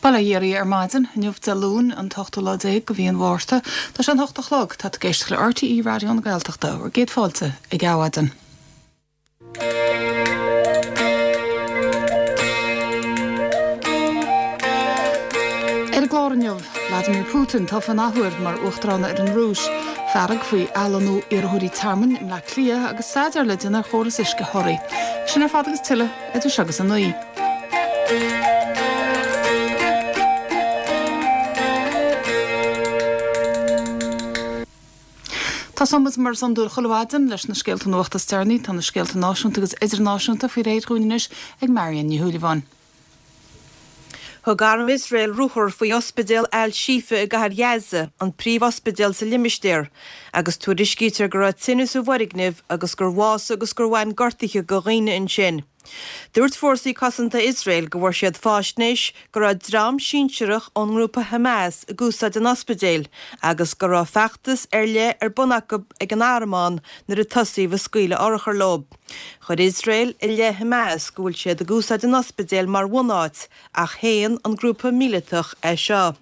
Bail ó Dhia oraibh ar maidin, inniu Dé Luain, an t-ochtú lá déag de mhí an Mhárta. Tá sé an hocht a chlog. Tá tú ag éisteacht le RTÉ Raidió na Gaeltachta. Bhur gcéad fáilte ag Adhmhaidin. Ar an gclár inniu, Vladimir Putin tofa an athuair mar Uachtarán ar an Rúis, fearg faoi athlonnú iarrthóirí tearmainn i mBleá Cliath agus staidéar le déanamh ar chóras uisce Thoraí. Sin ar fad agus tuilleadh idir seo agus a 9. Tosóidh muid mar is iondúil chuile mhaidin leis na scéalta nuachta is deireanaí. Tá na scéalta náisiúnta agus idirnáisiúnta faoi réir dhúinn anois ag Marion Ní Shúilleabháin. Thug arm Iosrael ruathar faoi ospidéal Al-Shifa i gcathair Ghaza, an príomh-ospidéal sa limistéar, agus tuairiscítear go raibh tine sa bhfoirgneamh agus gur bhásaigh agus gur bhain gortuithe do dhaoine ansin. Dúirt Fórsaí Cosanta Iosrael go bhfuair siad faisnéis go raibh dream sinsearach ón ngrúpa Hamas ag úsáid an ospidéil agus go raibh feachtas ar leith ar bun acu ag an arm ann nuair a tosaíodh ag scaoileadh urchar leo. Chuir Iosrael i leith Hamas go bhfuil siad ag úsáid an ospidéil mar bhunáit ach shéan an grúpa míleatach é seo.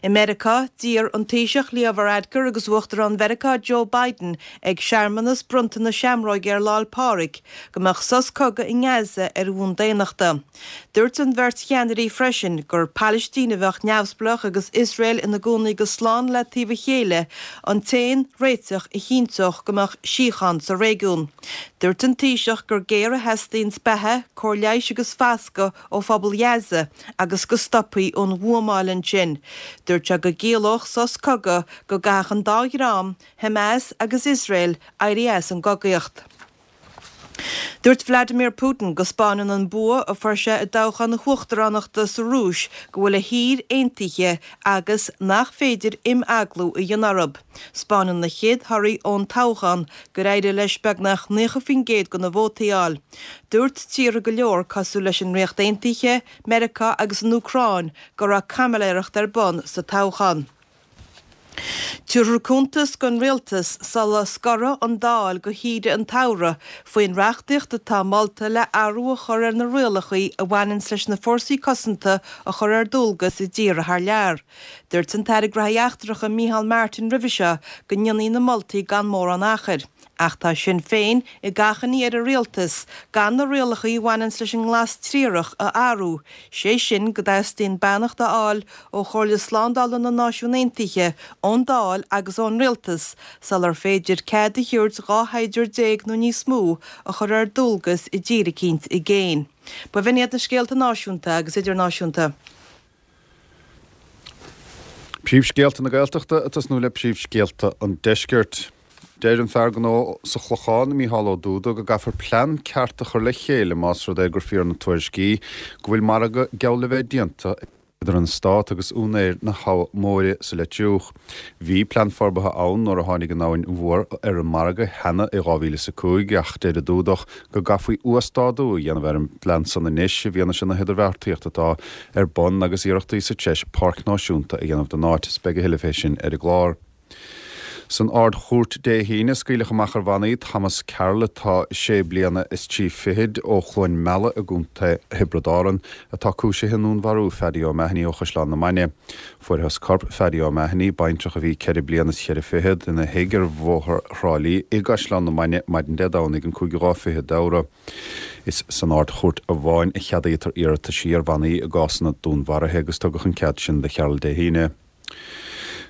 I Meiriceá, d'iarr an Taoiseach Leo Varadkar agus Uachtarán Mheiriceá Joe Biden ag searmanas bronnta na seamróige ar Lá 'le Pádraig go mbeadh sos cogaidh i nGaza ar bhonn daonnachta. Dúirt an bheirt cheannairí freisin gur Palaistín a bheadh neamhspleách agus Iosrael ina gcónaí go slán le taobh a chéile an t-aon réiteach a chinnteodh go mbeadh síocháin sa réigiún. Dúirt an Taoiseach gur géar a theastaíonns beatha, cóir leighis agus fascadh ó phobal Ghaza agus go stopfaí an bhuamáil ansin. Dúirt sé go gciallódh sos cogaidh go gcaithfeadh an dá dhream, Hamas agus Iosrael, éirí as an gcogaíocht. Dúirt Vladimir Putin go 'spáineann an bua a fuair sé i dtoghchán na huachtaránachta sa Rúis go bhfuil a thír aontaithe agus nach féidir imeaglú a dhéanamh orthu. 'Spáineann na chéad thorthaí ón toghchán gur éirigh leis beagnach 90% de na vótaí a fháil. Dúirt tíortha go leor cosúil leis an Ríocht Aontaithe, Meiriceá agus an Úcráin go raibh caimiléireacht ar bun sa toghchán. Tabharfar cuntas don Rialtas sula scorfaidh an Dáil go shaoire an tsamhraidh faoin reachtaíocht atá molta le athrú a chur ar na rialacha a bhaineanns leis na fórsaí cosanta a chur ar dualgas i dtíortha thar lear. Dúirt an tAire Gnóthaí Eachtracha Micheál Martin roimhe seo go ndéanfaí na moltaí gan mórán achair. Ach tá Sinn Féin ag achainí ar an Rialtas gan na rialacha a bhaineanns leis an nglas triarach a athrú, sé sin go dteastaíonn beannacht a fháil ó Chomhairle Slándála na Náisiún Aontaithe, ón Dáil agus ón Rialtas sular féidir cead a thabhairt 12 shaighdiúir nó níos mó a chur ar dualgas i dtír eicínt i gcéin. B'in iad na scéalta náisiúnta agus idirnáisiúnta. Príomhscéalta na Gaeltachta ag tosnú le príomhscéalta an Deiscirt. Deir an fear gnó sa Chlochán, Mícheál Ó Dúda, go gcaithfear plean ceart a chur le chéile más rud é gur fíor na tuairiscí go bhfuil margadh geall le bheith déanta idir an Stát agus úinéir na hAbha Móire sa Leitriúch. Bhí plean forbartha ann nuair a tháinig an Abhainn Mhór ar an margadh cheana i 2005 ach deir an Dúdach go gcaithfí uasdátú a dhéanamh ar an bplean san anois i bhfianaise na hidirbheartaíochta atá ar bun agus iarrachtaí sa treis páirc náisiúnta a dhéanamh den áit. Is beidh a thuilleadh fé sin ar an gclár. San Ard-Chúirt Dé hAoine, scaoileadh amach ar bhannaí Thomas Carroll, atá sé bliana is trí fichid, ó Chluain Meala i gContae Thiobraid Árann, atá cúisithe i ndúnmharú Phaddy O'Mahony ó Chaisleán na Mainge. Fuarthas corp Phaddy O'Mahony, baintreach a bhí ceithre bliana is cheithre fichead, ina thigh ar Bhóthar Thrá Lí i gCaisleán na Mainge maidin Dé Domhnaigh an cúigiú lá fichead d'Fheabhra. Is san Ard-Chúirt amháin a cheadaítear iarrataisí ar bhannaí i gcásanna dúnmharaithe agus tugadh an cead sin do Charroll Dé hAoine.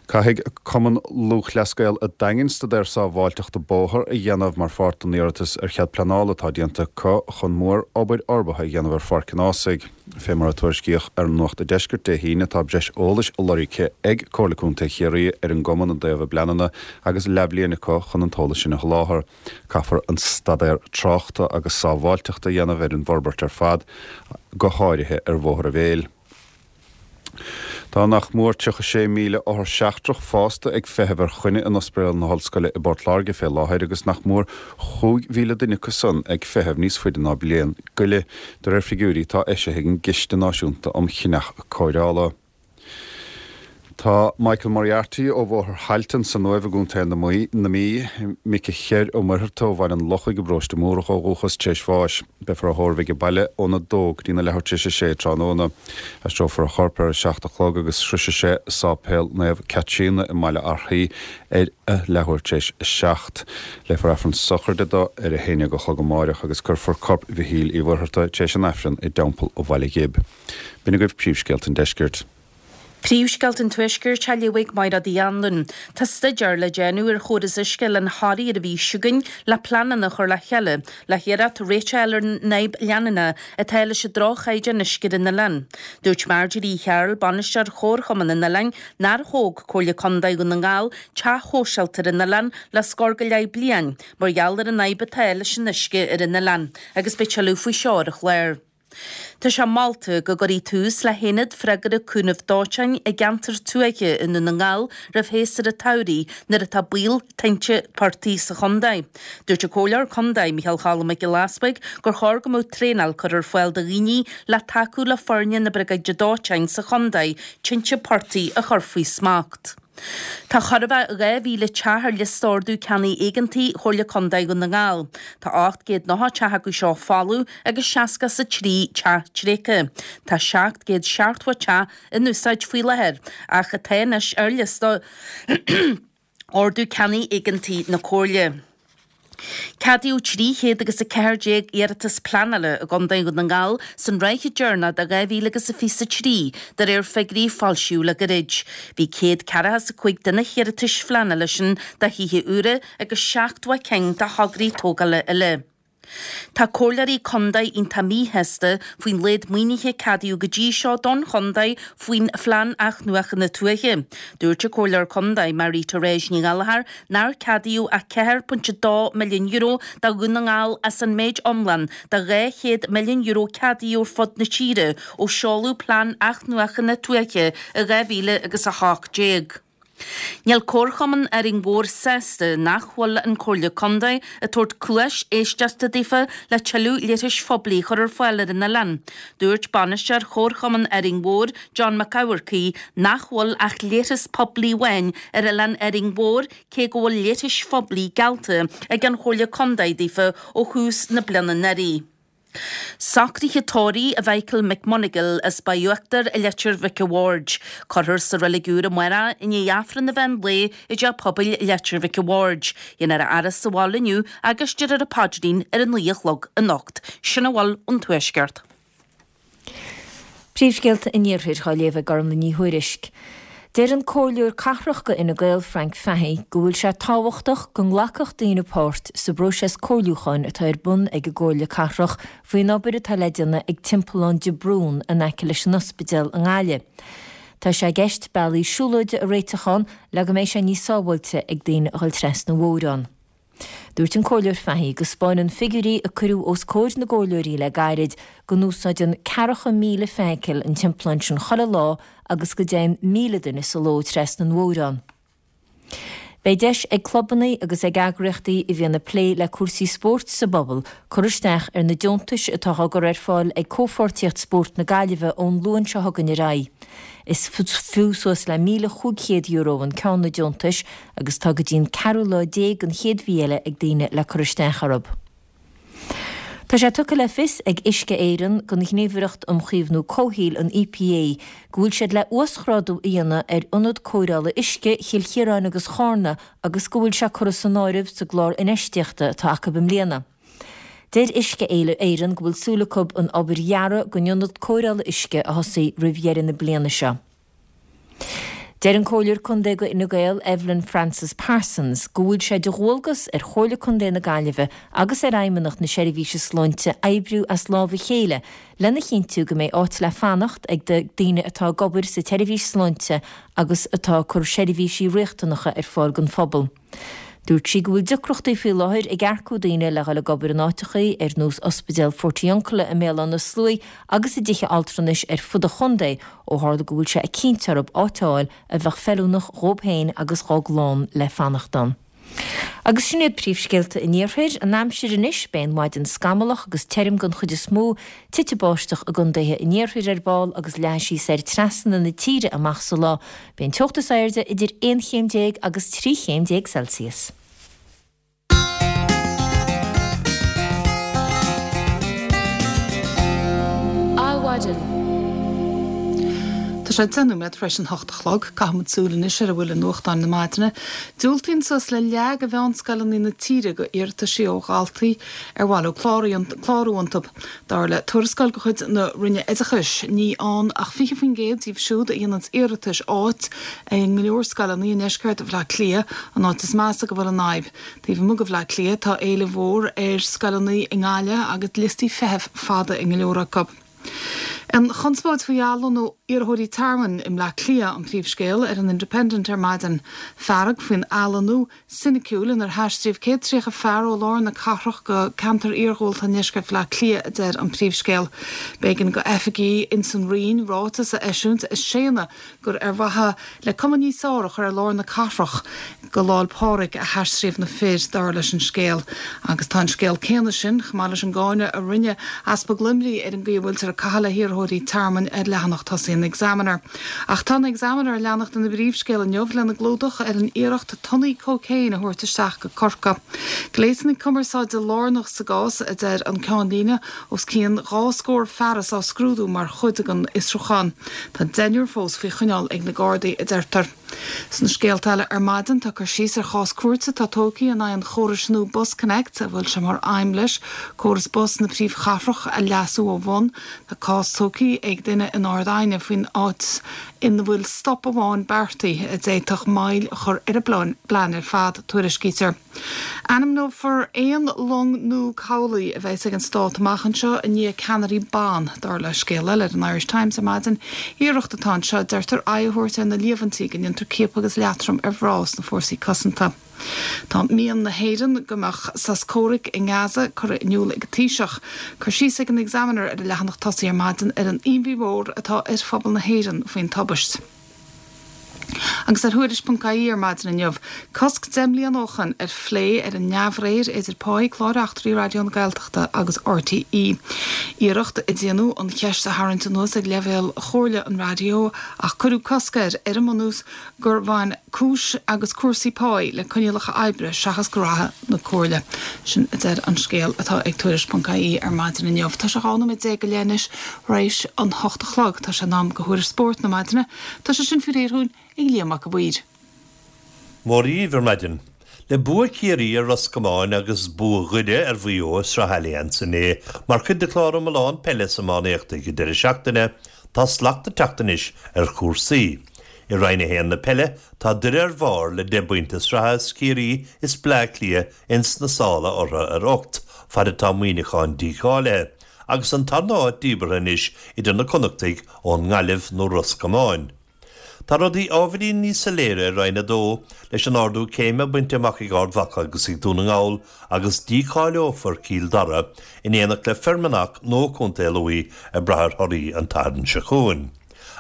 Caithfidh Cumann Lúthchleas Gael an Daingin staidéar sábháilteachta bóthair a dhéanamh mar pháirt den iarratas ar chead pleanála atá déanta acu chun mór-obair fhorbartha a dhéanamh ar Pháirc an Ághasaigh. Fé mar a tuairiscíodh ar Nuacht an Deiscirt Dé hAoine tá breis eolais lorgtha ag Comhairle Contae Chiarraí ar an gcumann i dtaobh a bpleananna agus leathbhliain acu chun an t-eolas sin a sholáthar. Caithfear an staidéar tráchta agus sábháilteachta a dhéanamh ar an bhforbairt ar fad, go háirithe ar Bhóthar an Mhéil. Tá nach mór 36,000 othar seachtrach fásta ag feitheamh ar choinne in Ospidéal na hOllscoile i bPort Láirge fé láthair agus nach mór 5,000 duine acu san ag feitheamh níos faide ná bliain go leith, de réir figiúirí atá eisithe ag an gCiste Náisiúnta um Chinneadh Cóireála. Tá Michael Moriarty ó Bhóthar Thailtean san Uaimh i gContae na Mí, Mick Cher Ó Muircheartaigh ó Bhaile an Lochaigh i bParóiste Múrach ó dhúchas, tar éis bháis. Beifear á thórramh aige baile óna dó go dtína leathuair tar éis a sé tráthnóna. Aistreofar a chorp ar a 7 a chlog agus sroisfidh sé Sáipéal Naomh Caitríona i mBaile Átha ar a leathuair tar éis a 7. Léifear Aifreann sochraide dó ar a haon déag a chlog amáireach agus cuirfear corp Mhichíl Uí Mhuircheartaigh tar éis an Aifrinn i dTeampall Bhaile Ghib. B'in agaibh príomhscéalta an deiscirt. Príomhscéalta an Tuaiscirt á léamh ag Mairéad Uí Anluain. Tá staidéar le déanamh ar chóras uisce Oileán Thoraí ar an mhí seo chugainn le pleananna a chur le chéile le hiarracht réiteach a fháil ar an fhadhb leanúnach atá leis an droch-chaighdeán uisce ar an oileán. Dúirt Marjorie Uí Chearúil, bainisteoir Chomharchumann an oileáin, nár thóg Comhairle Contae Dhún na nGall teach shóisialta ar an oileán le scór go leith bliain mar gheall ar an fhadhb atá leis an uisce ar an oileán agus beidh tuilleadh faoi seo ar an chlár. Tá sé molta go gcuirfí tús le haonad freagartha cúnaimh dóiteáin i gceantar tuaithe i nDún na nGall roimh shéasúr an tsamhraidh nuair atá baol tinte portaigh sa chontae. Dúirt an Comhairleoir Contae, Micheál Cholm Mac Giolla Easbuig, gur chóir go mbeadh traenáil curtha ar fáil do dhaoine le tacú le foirne na Briogáide Dóiteáin sa chontae tinte portaigh a chur faoi smacht. Tá chóir a bheith 2,000 teach ar liosta ordú ceannaigh éigeantaigh Chomhairle Contae Dhún na nGall. Tá 890 teach acu seo folamh agus 63 teach tréigthe. Tá 770 teach in úsáid faoi láthair ach atá anois ar liosta ordú ceannaigh éigeantaigh na Comhairle. Ceadaíodh 300 agus 14 iarratas pleanála i gContae Dhún na nGall san ráithe deireanach de 2023, de réir figiúirí a foilsíodh le gairid. Bhí 145 de na hiarratais phleanála sin do thithe úra agus 70 cinn do thograí tógála eile. Tá comhairleoirí contae iontach míshásta faoin laghad maoinithe a ceadaíodh go dtí seo don chontae faoin Phlean Athnuachana Tuaithe. Dúirt an Comhairleoir Contae Marie Therese Ní Ghallchóir nár ceadaíodh ach €4.2 milliún do Dhún na nGall as an méid iomlán de €200 milliún ceadaíodh ar fud na tíre ó seoladh Plean Athnuachana Tuaithe i 2018. Níl Comharchumann Árainn Mhór sásta nach bhfuil an Comhairle Contae ag tabhairt cluais éisteachta daofa le tuilleadh leithris phoiblí a chur ar fáil ar an oileán. Dúirt bainisteoir Chomharchumann Árainn Mhór, John Mac Eamharcaigh, nach bhfuil ach leithreas poiblí amháin ar oileán Árainn Mhór cé go bhfuil leithris phoiblí geallta ag an Chomhairle Contae daofa ó thús na bliana anuraidh. Socruithe tórraimh do Mhichael McMonagle as Baile Uachtair i Leitir Mhic a' Bhaird. Cuirfear sa Reilig Úr amárach i ndiaidh Aifreann an mheán lae i dTeach Pobail Leitir Mhic a' Bhaird. Déanfar a fhaire sa bhaile inniu agus déarfar an paidrín ar a 9 a chlog anocht. Sin a bhfuil ón Tuaisceart. Príomhscéalta an Iarthair á léamh ag Gormlaith Ní Thuairisg. Deir an Comhairleoir Cathrach do Fhine Gael, Frank Fahey, go bhfuil sé tábhachtach go nglacfadh daoine páirt sa bpróiseas comhairliúcháin atá ar bun ag an gComhairle Cathrach faoin obair atá le déanamh ag Timpeallán de Brún in aice leis an ospidéal i nGaillimh. Tá sé i gceist bealaí siúlóide a réiteach ann le go mbeidh sé níos sábháilte ag daoine a dhul trasna an bhóthair ann. Dúirt an Comhairleoir Fahey go 'spáineann figiúirí a cuireadh os comhair na gcomhairleoirí le gairid go n-úsáideann ceathracha 1,000 feithicil an timpeallán sin chuile lá agus go dtéann 1,000 duine sa ló trasna an bhóthair ann. Beidh deis ag clubanna agus ag eagraíochtaí a bhíonn ag plé le cúrsaí spóirt sa bpobal cur isteach ar na deontais atá á gcur ar fáil ag Comhpháirtíocht Spóirt na Gaillimhe ón Luan seo chugainn ar aghaidh. Is fiú suas le €1,500 an ceann na deontais agus tá go dtí an ceathrú lá déag den chéad mhí eile ag daoine le cur isteach orthu. Tá sé tugtha le fios ag Uisce Éireann don Ghníomhaireacht um Chaomhnú Comhshaoil, an EPA, go bhfuil siad le uasghrádú a dhéanamh ar Ionad Cóireála Uisce Chill Chiaráin agus Chárna agus go bhfuil sé curtha san áireamh sa gclár infheistíochta atá acu i mbliana. Deir Uisce Éireann go bhfuil súil acu an obair dhearaidh don ionad cóireála uisce a thosaí roimh dheireadh na bliana seo. Deir an Comhairleoir Contae do Fhine Gael, Evelyn Frances Parsons, go bhfuil sé de dhualgas ar Chomhairle Contae na Gaillimhe agus ar Fheidhmeannacht na Seirbhíse Sláinte oibriú as lámh a chéile lena chinntiú go mbeidh áit le fanacht ag daoine atá ag obair sa tseirbhís sláinte agus atá ag cur seirbhísí riachtanacha ar fáil don phobal. Dúirt sí go bhfuil deacrachtaí faoi láthair ag earcú daoine le dhul ag obair in áiteachaí ar nós Ospidéal Portiuncula i mBéal Átha na Sluaighe agus i dtithe altranais ar fud an chontae ó tharla go bhfuil sé ag cinnt orthu áit a fháil a bheadh feiliúnach dhóibh féin agus dhá gclann le fanacht ann. Agus sin iad príomhscéalta an Iarthair. An aimsir anois, beidh an mhaidin scamallach agus tirim den chuid is mó, titfidh báisteach i gcontaetha an iarthair ar ball agus leathfaidh sí soir trasna na tíre amach sa lá. Beidh an teocht is airde idir 11 chéim agus 13 chéim Celsius. Adhmhaidin. Tá sé 10 nóiméad tar éis an hocht a chlog. Caithfimid súil anois ar a bhfuil i nuachtáin na maidine. Diúltaíonn suas le leath de mheánscoileanna na tíre go iarrataisí ó dhaltaí ar mhaith leo clárú iontu. Dar le tuarascáil de chuid na Roinne Oideachais, ní fhaigheann ach 20% díobh siúd a dhéananns iarratais áit i go leor scoileanna i ndeisceart Bhaile Átha Cliath, an áit is measa go bhfuil an fhadhb. Taobh amuigh de Bhaile Átha Cliath, tá éileamh mhór ar scoileanna i nGaillimh agus liostaí feithimh fada i go leor acu. An chonspóid faoi athlonnú iarrthóirí tearmainn i mBleá Cliath an príomhscéal ar an Independent ar maidin. Fearg faoin athlonnú soiniciúil inar haistríodh 130 fear ó lár na cathrach go ceantar iarghúlta i ndeisceart Bhaile Átha Cliath, a deir an príomhscéal. B'éigean go oifigigh ins an Roinn ráiteas a eisiúint ag séanadh gur ar mhaithe le cuma níos fearr a chur ar lár na cathrach go Lá'l Pádraig a haistríodh na fir, dar leis an scéal. Agus tá an scéal céanna sin, chomh maith leis an gcáineadh a rinne Easpag Luimnigh ar an gcaoi a bhfuiltear ag caitheamh le hiarrthóirí tearmainn ar leathanach tosaigh an Examiner. Ach tá an Examiner ag leanacht ina bpríomhscéal inniu lena gclúdach ar an iarracht tonnaí cócaon a thabhairt isteach go Corcaigh. Gléasanna cumarsáide lárnach sa gcás, a deir an ceannlíne, Os cionn 2 scór fearas á scrúdú mar chuid den fhiosrúchán. Tá deichniúr fós faoi choinneáil ag na Gardaí, a deirtear. Sna scéalta eile ar maidin, tá cur síos ar chás cúirte atá tógtha in aghaidh an chórais nua BusConnects, a bhfuil sé mar aidhm leis córas bus na príomhchathrach a leasú ó bhun. Tá cás tógtha ag duine in Ard Aighne faoin áit ina bhfuil stop amháin beartaithe a d'fhéadfadh moill a chur ar an bplean ar fad, tuairiscítear. Ainmneofar aon long nua cabhlaigh a bheas ag an Stát amach anseo i ndiaidh ceannairí ban, dar le scéal eile ar an Irish Times ar maidin. Iarracht atá anseo, deirtear, aghaidh a thabhairt ar na líomhaintí go ndéantar ciapadh agus leatrom ar mhná sna fórsaí cosanta. Tá mian na hÉireann go mbeadh sos comhraic i nGaza curtha in iúl ag an Taoiseach. Cur síos ag an Examiner ar a leathanach tosaigh ar maidin ar an imní mhór atá ar phobal na hÉireann faoin tubaist. Agus ar Thuairisc.ie ar maidin inniu, cosc 10 mbliana ó shoin ar phlé ar an neamhréir idir páí clár eachtraí Raidió na Gaeltachta agus RTÉ. Iarracht a déanadh an cheist a tharraingt anuas ag leibhéal Chomhairle an Raidió ach cuireadh cosc air ar an mbunús gur bhain cúis agus cúrsaí páí le coinníollacha oibre seachas graithe na Comhairle. Sin a deir an scéal atá ag Tuairisc.ie ar maidin inniu. Tá sé 12 nóiméad go leith anois tar éis an hocht a chlog. Tá sé in am do thuairisc spóirt na maidine. Tá sé sin faoi réir dhúinn ag Liam Mac a' Mhaoir. Mora dhaoibh ar maidin. Le bua Chiarraí ar Ros Comáin agus bua Dhoire ar Mhaigh Eo i Sraith Allianz inné mar chuid de chlár iomlán peile is iománaíochta ag an deireadh seachtaine, tá slacht ag teacht anois ar chúrsaí. I Roinn 1 na peile, tá Doire ar bharr le deich bpointe sraithe is Ciarraí is Bleá Cliath ins na sála orthu ar ocht, fad atá Muineachán dícháilithe. agus an tarna háit díbeartha anois idir na Connachtaigh ón nGaillimh nó Ros Comáin. Tá rudaí ábhairín níos soiléire i Roinn 2, leis an ardú céime bainte amach ag Ard Mhacha agus ag Dún na nGall agus dícháileofar Cill Dara in éineacht le Fear Manach nó Contae Lú ag brath ar thorthaí an tSathairn seo chugainn.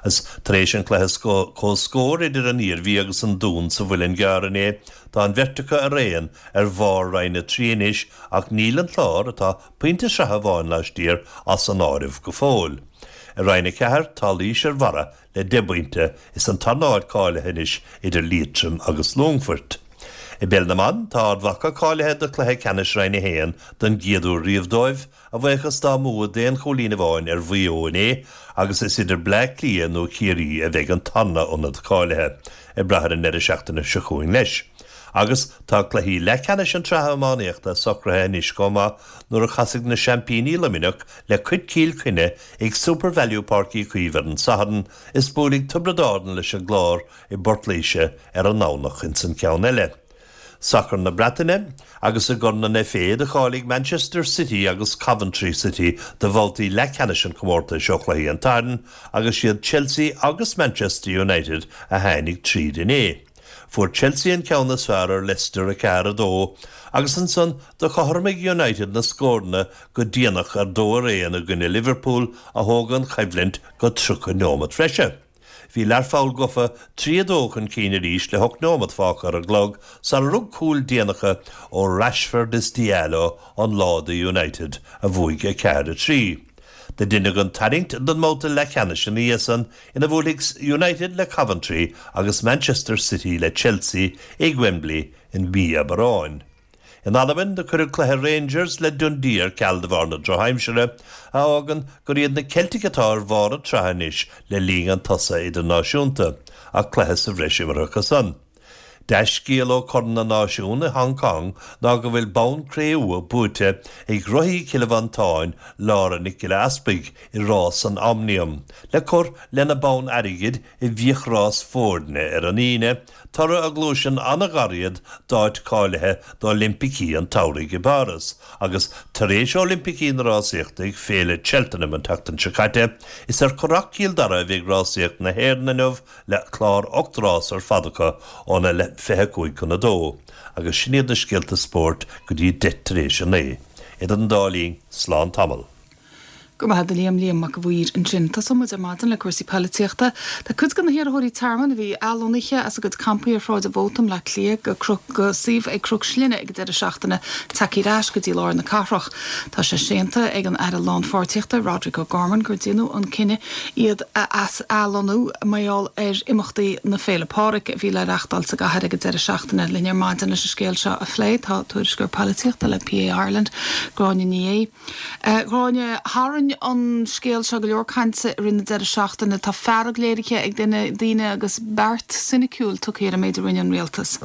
Agus tar éis an chluiche comhscóir idir an Iarmhí agus an Dún sa Mhuileann gCearr inné, tá an bheirt acu araon ar bharr Roinn 3 anois ach níl an Clár, atá Pointe sraithe amháin laistiar as an áireamh go fóill. I Roinn 4, tá Laois ar barra le 10 bpointe is an tarna háit cáilithe anois idir Liatroim agus Longfoirt. I bPeil na mBan, tá Ard Mhacha cáilithe do chluiche ceannais Roinn 1 don gcéad uair riamh dóibh, a bhuíochas dá mbua d'aon chúilín amháin ar Mhaigh Eo inné agus is idir Bleá Cliath nó Ciarraí a bheidh an tarna ionad cáilithe, ag brath ar an ndeireadh seachtaine seo chugainn leis. Agus tá cluichí leathcheannais an tsraithe iománaíochta socraithe anois chomh maith nuair a chasfaidh na seaimpíní Luimneach le Cill Chainnigh ag Supervalu Páirc Uí Chaoimh ar an Satharn is buailfidh Tiobraid Árann leis an gClár i bPort Laoise ar an nDomhnach ins an ceann eile. Sacar na Breataine agus i gCorn an FA do cháiligh Manchester City agus Coventry City do bhabhtaí leathcheannais an chomórtais ó chluichí an tSathairn agus siad Chelsea agus Manchester United a tháinig tríd inné. Fuair Chelsea an ceann is fearr ar Leicester 4, 2 agus ansan do chothromaigh United na scóranna go déanach ar 2 ar 1 i gcoinne Liverpool a thóg an choimhlint go 30 neomat bhreise. Bhí Learpholl gofa 3, 2 chun cinn arís le hocht nóiméad fágtha ar an gclog sara rug cúil déanacha ó Rashford is Diallo an lá do United, a bhuaigh 4, 3. Do deineadh an tarraingt don mbabhta leathcheannais ina dhiaidh san, ina bhuailfidh United le Coventry agus Manchester City le Chelsea ag Wembley i mí Aibreáin. In Albain, do cuireadh cluiche Rangers le Dundee ar ceal de bharr na drochaimsire, a fhágann gur iad na Ceiltigh atá ar bharr an tsraithe anois le linn an tsosa idirnáisiúnta, ach cluiche sa bhreis imeartha acu san. Dea-scéal ó Chorn na Náisiún i Hong Kong ná go bhfuil bonn cré-umha buaite ag rothaí Chille Mhantáin, Laura Nic Giolla Easpaig, i rás an Omnium, le cur lena bonn airgid i bhfiachrás foirne ar an Aoine, toradh a ghluaiseann an-ghar iad d'áit cáilithe d'Oilimpicí an tSamhraidh i bPáras agus tar éis Oilimpicí na Rásaíochta ag Féile Cheltenham an tseachtain seo caite, is ar Churrach Chill Dara a bheidh rásaíocht na hÉireann inniu le clár 8 rás ar fad acu óna 25 chun 2 agus sin iad na scéalta spóirt go dtí 9 tar éis 9. Idir an dá linn, slán tamall. Go raibh maith agat a Liam, Liam Mac a' Mhaoir ansin. Tosóidh muid ar maidin le cúrsaí poilitíochta. Tá cuid de na hiarrthóirí tearmainn a bhí athlonnaithe as a gcuid campaí ar Shráid an Mhóta i mBleá Cliath go Cnoc go suíomh ag Cnoc Slinne ag an deireadh seachtaine tagtha ar ais go dtí lár na cathrach. Tá sé séanta ag an Aire Lánpháirtíochta, Roderic O'Gorman, gur déanadh an cinneadh iad a athlonnú mar gheall ar imeachtaí na Féile Pádraig a bhí le reachtáil sa gcathair ag an deireadh seachtaine. Linn ar maidin leis an scéal seo a phlé tá tuairisceoir poilitíochta le PA Ireland, Gráinne Ní Aodha. A Ghráinne, tharraing an scéal seo go leor cainte i rith na deireadh seachtaine. Tá fearg léirithe ag daoine agus beart soiniciúil tugtha ar an méid a rinne an rialtas.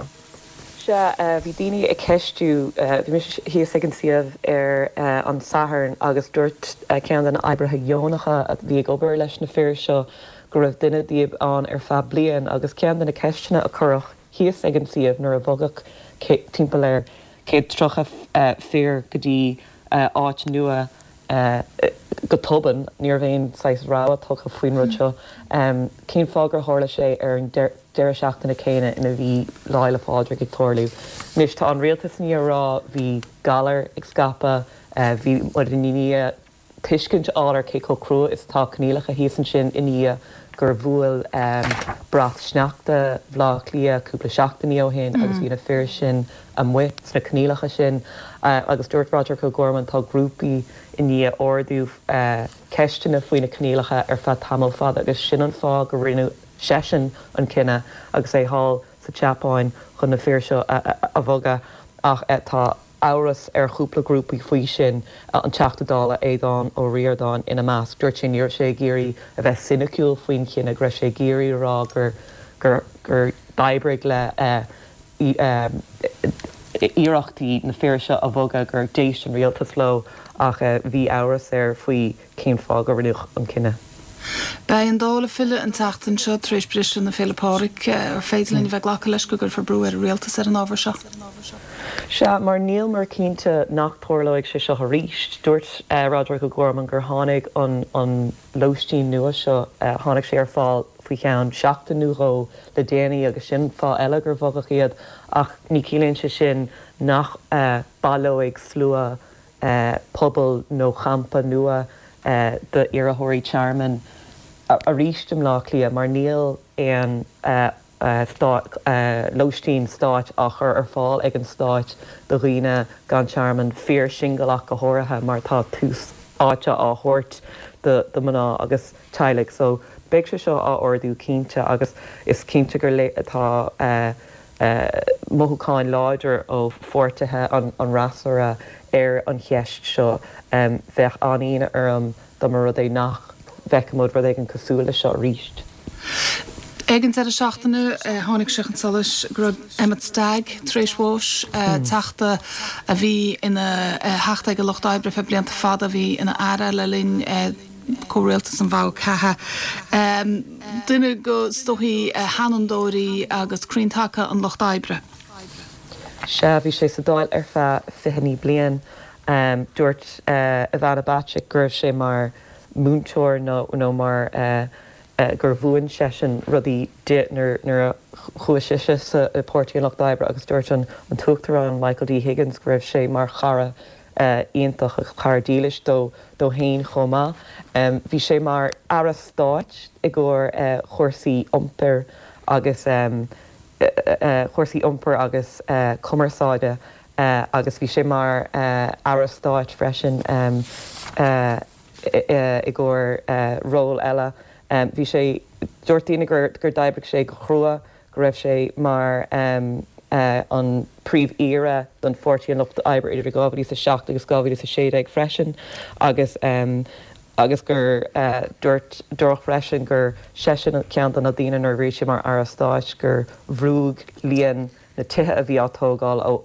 Sea, bhí daoine ag ceistiú, bhí mise thíos ag an suíomh ar an Satharn agus dúirt ceann de na oibrithe dheonacha a bhí ag obair leis na fir seo go raibh duine díobh ann ar feadh bliain agus ceann de na ceisteanna a cuireadh thíos ag an suíomh nuair a bhogadh timpeall ar 130 fir go dtí áit nua go tobann. Ní raibh aon saghas rabhadh tugtha faoin rud seo. Cén fáth gur tharla sé ar an deireadh seachtaine céanna ina bhí Lá Fhéile Pádraig ag tarlú? Anois tá an rialtas i ndiaidh a rá bhí galar ag scaipeadh, bhí muid i ndiaidh tuiscint a fháil ar cé chomh crua is atá coinníollacha thíos ansin i ndiaidh gur bhuail brat sneachta Bhaile Átha Cliath cúpla seachtainí ó shin agus bhí na fir sin amuigh sna coinníollacha sin agus dúirt Roderic O'Gorman tá grúpaí i ndiaidh ardú ceisteanna faoi na coinníollacha ar feadh tamall fada agus sin an fáth go rinne seisean an cinneadh agus é thall sa tSeapáin chun na fir seo a bhogadh ach tá amhras ar chúpla grúpaí faoi sin, an Teachta Dála Aodhán Ó Ríordáin ina measc. Dúirt sé ní raibh sé ag iarraidh a bheith soiniciúil faoin chinneadh, go raibh sé ag iarraidh a rá gur gur gur d'oibrigh le iarrachtaí na fir seo a bhogadh, gur d'éist an rialtas leo ach bhí amhras air faoi cén fáth gur rinneadh an cinneadh. Beidh an Dáil ag filleadh an tseachtain seo tar éis briseadh na Féile Pádraig. Ar féidir linn a bheith ag glacadh leis go gcuirfear brú ar an rialtas ar an ábhar seo? Sea, mar níl muid cinnte nach dtarlóidh sé seo arís. Dúirt Roderic O'Gorman gur tháinig an lóistín nua seo, tháinig sé ar fáil faoi cheann seachtain nó dhó le déanaí agus sin fáth eile gur bhogadh iad ach ní chiallaíonn sé sin nach baileoidh slua pobal nó champa nua d'iarrthóirí tearmainn arís i mBleá Cliath mar níl aon lóistín stáit á chur ar fáil ag an stáit do dhaoine gan tearmann, fir singil ach go háirithe mar tá tús áite á thabhairt do mná agus teaghlaigh. So beidh sé seo á ardú cinnte agus is cinnte gur tá mothúcháin láidir ó pháirtithe an fhreasúra ar an cheist seo. Bheadh an-ionadh orm dá mba rud é nach bhfeicfimid rud éigin cosúil leis seo arís. Ag an deireadh seachtaine tháinig sé chun solais go raibh Emmet Stagg tar éis bháis, teachta a bhí ina theachta ag an Lucht Oibre ar feadh blianta fada, a bhí ina aire le linn comhrialtas an Mhogha Ceatha. Duine de is dóichí sheanfhondúirí agus crainn taca an Lucht Oibre. Sea, bhí sé sa Dáil ar feadh 29 bliain. Dúirt Ivana Bacik go raibh sé mar mhúinteoir nó mar gur mhúin seisean rudaí di nuair a chuaigh sise sa Páirtí an Lucht Oibre agus dúirt an tUachtarán Michael D Higgins go raibh sé mar chara. iontach agus cara dílis dó dó fhéin chomh maith. Bhí sé mar Aire Stáit i gcomhair chúrsaí iompair agus chúrsaí iompair agus cumarsáide agus bhí sé mar Aire Stáit freisin i gcomhair ról eile. Bhí sé, dúirt daoine gur d'oibrigh sé go chrua, go raibh sé mar an Príomh-Aoire don Pháirtí an Lucht Oibre idir 2007 agus 2016 freisin agus agus gur dúirt dúradh freisin gur seisean ceann de na daoine nuair a bhí sé mar Aire Stáit gur bhrúigh líon na tithe a bhí á tógáil ó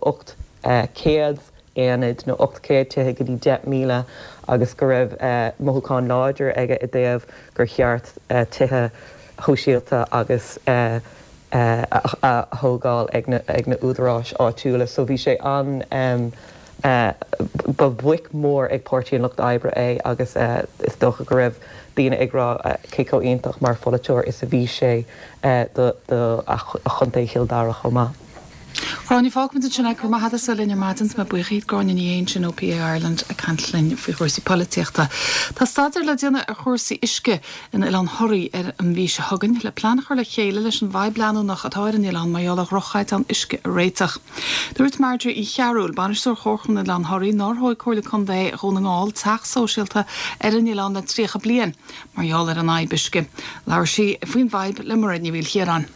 800 aonad nó 800 tithe go dtí 10,000 agus go raibh mothúchán láidir aige i dtaobh gur cheart tithe shóisialta agus a thógáil ag na údaráis áitiúla. So bhí sé an, ba bhuaic mhór ag Páirtí an Lucht Oibre é agus is dócha go raibh daoine ag rá cé chomh iontach mar pholaiteoir is a bhí sé do chontae Chill Dara chomh maith. Gráinne, Fágfaimid ansin é. Go raibh maith agat as a bheith linn ar maidin. Tá mé buíoch díot. Gráinne Ní Aodha ansin ó PA Ireland ag caint linn faoi chúrsaí polaitíochta. Tá staidéar le déanamh ar chúrsaí uisce in Oileán Thoraí ar an mhí seo chugainn le plean a chur le chéile leis an bhfadhb leanúnach atá ar an oileán mar gheall ar dhroch-chaighdeán uisce a réiteach. Dúirt Marjorie Uí Chearúil, Bainisteoir Chomharchumann Oileán Thoraí, nár thóig Comhairle Contae Dhún na nGall teach sóisialta ar an oileán le 30 bliain mar gheall ar an fhadhb uisce. Labhair sí faoin bhfadhb le Mairéad Ní Mhaoilchiaráin.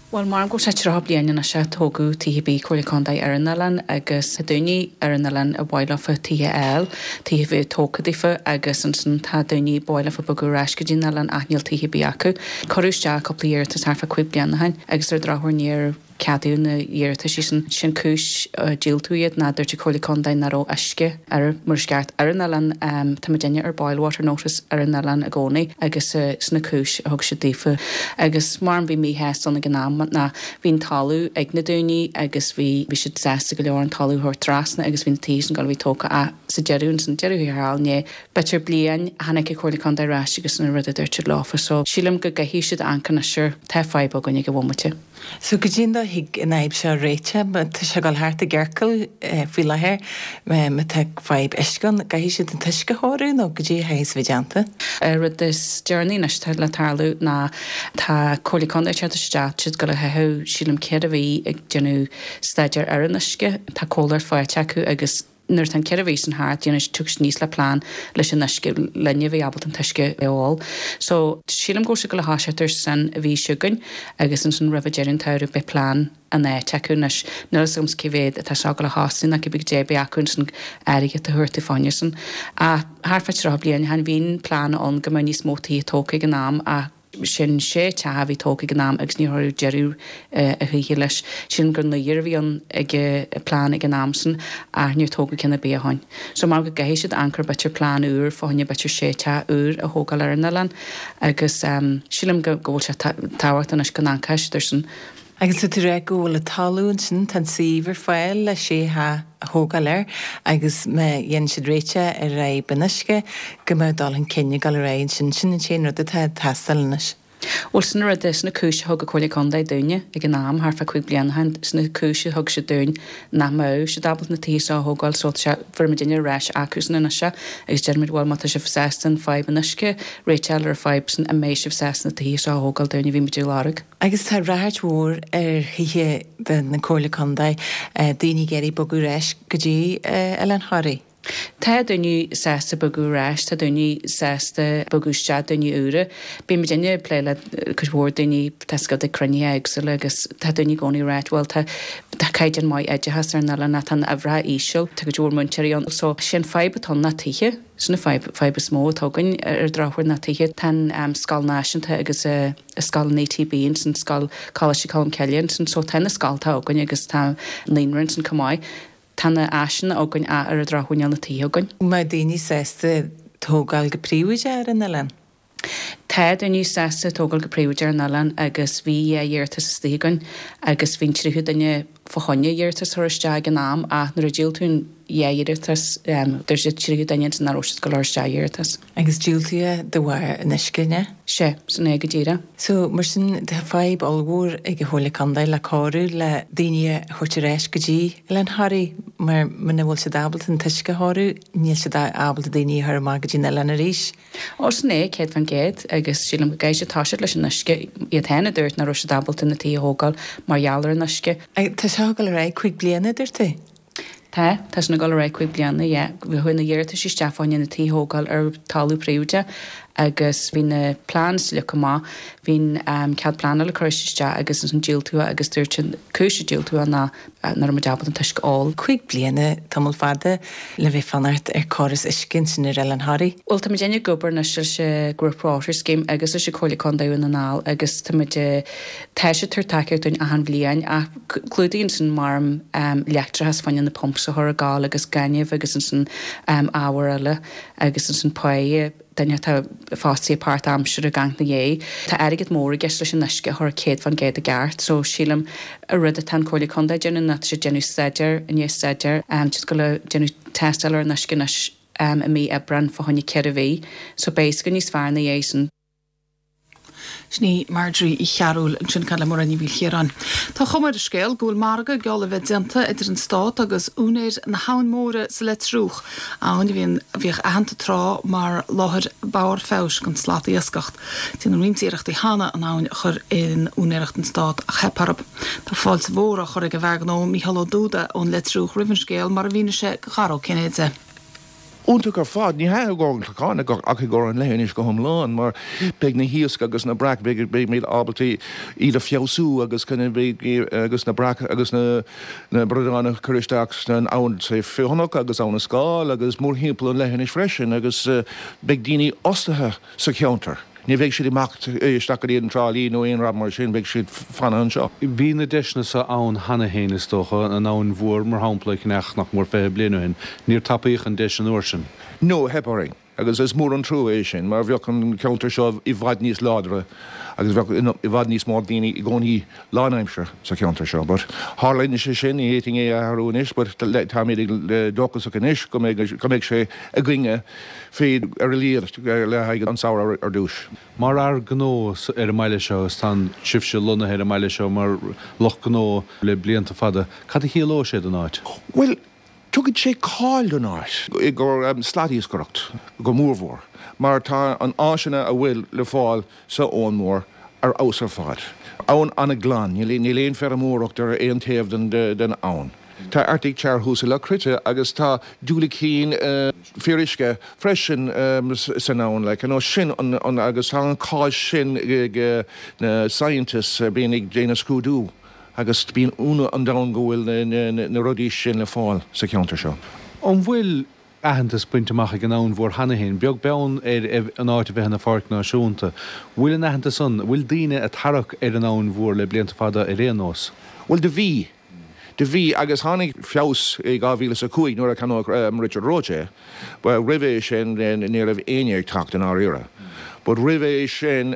Bhuel, maram go bhfuil sé 30 bliain anois a tógadh tithe ar bith Comhairle Contae ar an oileán agus tá daoine ar an oileán a ba mhaith leofa tithe a fháil, tithe a bheith tógtha daofa agus ansin tá daoine ba mhaith leofa bogadh ar ais go dtí an oileán ach níl tithe ar bith acu. Cuireadh isteach cúpla iarratas thart fá 5 bliana ó shin agus ar an drochuair níor ceadaíodh na hiarrataisí sin. Sin cúis a diúltú iad ná dúirt an Comhairle Contae nach raibh uisce ar mar is ceart ar an oileán. Tá muidinne ar boil water notice ar an oileán i gcónaí agus sin an cúis a thug siad daofa. Agus maram bhí míshásta ann ag an am ná bhí an talamh ag na daoine agus bhí bhí siad sásta go leor an talamh a thabhairt trasna agus bhí na tithe sin ag dul a bheith tógtha ach sa deireadh ansin deireadh thiar thall i ndiaidh b'fhéidir bliain tháinig an Comhairle Contae ar ais agus sin an rud a dúirt siad leofa. So sílim go gcaithfidh siad amharc anois air. Tá fadhb againn ag an bhomaite. So goidé an dóigh a thig an fhadhb seo a réiteach, má tá sé ag dul thart i gciorcal faoi láthair, má tá fadhb uisce ann, caithfidh siad an t-uisce a chóiriú nó goidé a chaithfeas a bheith déanta? An rud is deireanaí anois atá le tarlú ná tá Comhairle Contae ag teacht isteach, tá siad ag dul a chaitheamh sílim 4 mhí ag déanamh staidéar ar an uisce, tá comhlacht faighte acu agus Nuair atá an 4 mhí sin thart, déanfaidh siad, tiocfaidh siad aníos le plean leis an uisce, linne a bheith ábalta an t-uisce a ól. So, sílim go bhfuil siad ag dul a thoiseacht ar sin an mhí seo chugainn agus ansin roimh deireadh an tsamhraidh beidh plean in áit acu anois. Níl a fhios agamsa cé mhéad atá seo ag dul a chosnú ná cibé goidé beidh acu ansin airgead a thabhairt fá choinne sin. Ach thart fá 30 bliain ó shin bhí an plean ann go mbeadh níos mó tithe tógtha ag an am ach, Sin sé teach a bhí tógtha ag an am agus níor cuireadh deireadh a choíche leis. Sílim gur naoir a bhí ann ag an plean ag an am sin ach níor tógadh ceann ar bith ó shoin. So mar go gcaithfidh siad amharc ar b'fhéidir plean úr fá choinne b'fhéidir sé teach úr a thógáil ar an oileán agus sílim go bhfuil sé tábhachtach anois go n-amharcfaidh siad ar sin. Agus tá tú ag rá go bhfuil an talamh ansin, tá an suíomh ar fáil le sé theach a thógáil air agus má dhéanann siad réiteach ar fhadhb an uisce, go mbeadh dul chun cinn ag dul ar aghaidh ansin. Sin an t-aon rud atá ag teastáil anois. Bhuel, sin an rud, sin an cúis a thug an Comhairle Contae dúinne ag an am, thart fá 5 bliana ó shin, sin an cúis a thug siad dúinn nach mbeadh siad ábalta na tithe seo a thógáil so tá sé, fuair muidinne ar ais acusan anois é agus deirimid bhuel má tá sibh sásta an fadhb an uisce, réiteach ar an fadhb sin, an mbeidh sibh sásta na tithe seo a thógáil dúinn a bhí muid ag lorg. Agus tá ráchairt mhór ar thithe de na Comhairle Contae, daoine ag iarraidh bogadh ar ais go dtí Oileán Thoraí. Tá daoine sásta bogadh ar ais, tá daoine sásta bogadh isteach, daoine úra. Bíonn muidinne ag plé le cuid mhór daoine, tá siad ag cruinnithe éagsúla agus tá daoine i gcónaí ag ráit bhuel tá tá caighdeán maith oideachais ar an oileán ach tá an uimhreacha íseal, tá cuid mhór múinteoirí ann. So, sé an fadhb atá ann ná tithe. Sin an fadhb, fadhb is mó atá againn ar an drochuair ná tithe. Tá an scoil náisiúnta agus scoil an ETB ansin, scoil Coláiste Cholm Cille ansin, so tá na scoltacha againn agus tá naíonra ansin chomh maith. Tá na áiseanna againn ach ar an drochuair níl na tithe againn. An mbeadh daoine sásta tógáil go príobháideach ar an oileán? Tá daoine sásta tógáil go príobháideach ar an oileán agus bhí dhá iarratas istigh againn agus bhí an tríú duine fá choinne iarratas a chur isteach ag an am ach nuair a diúltaíodh an dhá iarratas dúirt an tríú duine ansin nach raibh siad ag dul a chur isteach iarratas. Agus diúltaíodh de bharr an uisce, an ea? Sea, sin é go díreach. So, mar sin, tá fadhb ollmhór ag an Chomhairle Contae le cóiriú le daoine a thabhairt ar ais go dtí Oileán Thoraí mar muna bhfuil siad ábalta an t-uisce a chóiriú, níl siad ábalta daoine a chur amach go dtí an oileán arís. Ó, sin é, 100%, agus sílim go gcaithfidh siad toiseacht leis an uisce. Iad féin a dúirt nach raibh siad ábalta na tithe a thógáil mar gheall ar an uisce. Tá seo ag dul ar aghaidh 5 bliana, a dúirt tú? Tá, tá sin ag dul ar aghaidh 5 bliana, yeah. Chuaigh na hiarratais isteach fá choinne na tithe a thógáil ar talamh príobháideach agus bhí na plans leagtha amach, bhí an cead pleanála curtha isteach agus ansin diúltaíodh agus dúirt an cúis a diúltaíodh ná nach raibh muid ábalta an t-uisce a ól. 5 bliana, tamall fada le bheith fanacht ar córas uisce ansin ar Oileán Thoraí. Bhuel, tá muid ag obair anois leis an Group Water Scheme agus leis an Comhairle Contae Dhún na nGall agus tá muid, tá siad ag tabhairt tacaíocht dúinn achan bhliain ach clúdaíonn sin mar leictreachas fá choinne na pumps a chur ag gabháil agus gaineamh agus ansin ábhair eile agus ansin páighe. duine atá fostaithe páirtaimseartha ag amharc ina dhiaidh. Tá airgead mór i gceist leis an uisce a chur 100% i gceart so sílim an rud atá an Comhairle Contae ag déanamh ná tá siad ag déanamh staidéar i ndiaidh staidéir, tá siad ag dul a déanamh tástáil ar an uisce anois i mí Aibreán fá choinne 4 mhí so beidh a fhios againn níos fearr ina dhiaidh sin. Sin í Marjorie Uí Chearúil ansin ag caint le Muireann Ní Mhaoilchiaráin. Tá cuma ar an scéal go bhfuil margadh geall le bheith déanta idir an Stát agus úinéir na hAbhann Móire sa Leitriúch, abhainn a bhíonn a bhíodh aitheanta tráth mar láthair barr feabhais don slatiascach. Déanadh roinnt iarrachtaí cheana an abhainn a chur in úinéireacht an Stát ach theip orthu. Tá fáilte mhór á chur ag an bhfear gnó Mícheál Ó Dúda ón Leitriúch roimh an scéal mar a mhínigh sé do Dhara Ó Cinnéide. Iontach ar fad. Ní hea i gcomhair an Chlocháin ach i gcomhair an leithinis go hiomlán mar beidh na hiasc agus na breac, beimid ábalta iad a feabhsú agus agus na breac agus na bradáin a chur isteach san abhainn Feothanach agus Abhainn na Scáil agus mórthimpeall an leithinis freisin agus beidh daoine fhostaithe sa cheantar. Ní bheidh siad ag imeacht isteach go dtí an Trá Lí nó aon rud mar sin, beidh siad fanacht anseo. Bhí na deiseanna seo ann cheana féin is dócha, an Abhainn Mhór mar shampla a cheannach nach mór 20 bliain ó shin. Níor tapaíodh an deis an uair sin. No, theip orainn agus is mór an trua é sin mar bheadh an ceantar seo i bhfad níos láidre agus bheadh i bhfad níos mó daoine i gcónaí lánaimseartha sa cheantar seo. But tharla sé sin, ní fhéadfainn é a athrú anois but táimid dóchasach anois go mbeidh go mbeidh sé againne féad ar a laghad le haghaidh an samhradh ar dtús. Mar fhear gnó ar an mbaile seo, agus tá sibhse lonnaithe ar an mbaile seo mar lucht gnó le blianta fada, cad a chiallóidh sé don áit? Bhuel, tugann sé cáil don áit i gcomhair slatiascaireacht go mórmhór mar tá an áiseanna a bhfuil le fáil sa Abhainn Mhór ar fheabhas ar fad. Abhainn an-ghlan, níl aon feirmeoireacht ar aon taobh den abhainn. Tá Arctic Char thuas i Loch Cruite agus tá diúilicín fíoruisce freisin san abhainn like you know sin an agus tá an cáil sin ag na scientists a bíonn ag déanamh scrúdú agus bíonn ionadh an domhain go bhfuil na rudaí sin le fáil sa cheantar seo. An bhfuil aitheantas bainte amach ag an Abhainn Mhór cheana féin, beag beann ar an áit a bheith ina pháirc náisiúnta. Bhfuil an aitheantas ann? Bhfuil daoine ag tarrac ar an Abhainn Mhór le blianta fada ar aon nós? Bhuel, do bhí. Do bhí, agus tháinig feabhas i 2005 nuair a cheannaigh Richard Roche é. Roimhe sin ní raibh éinne ag teacht i ndáiríre. But roimhe sin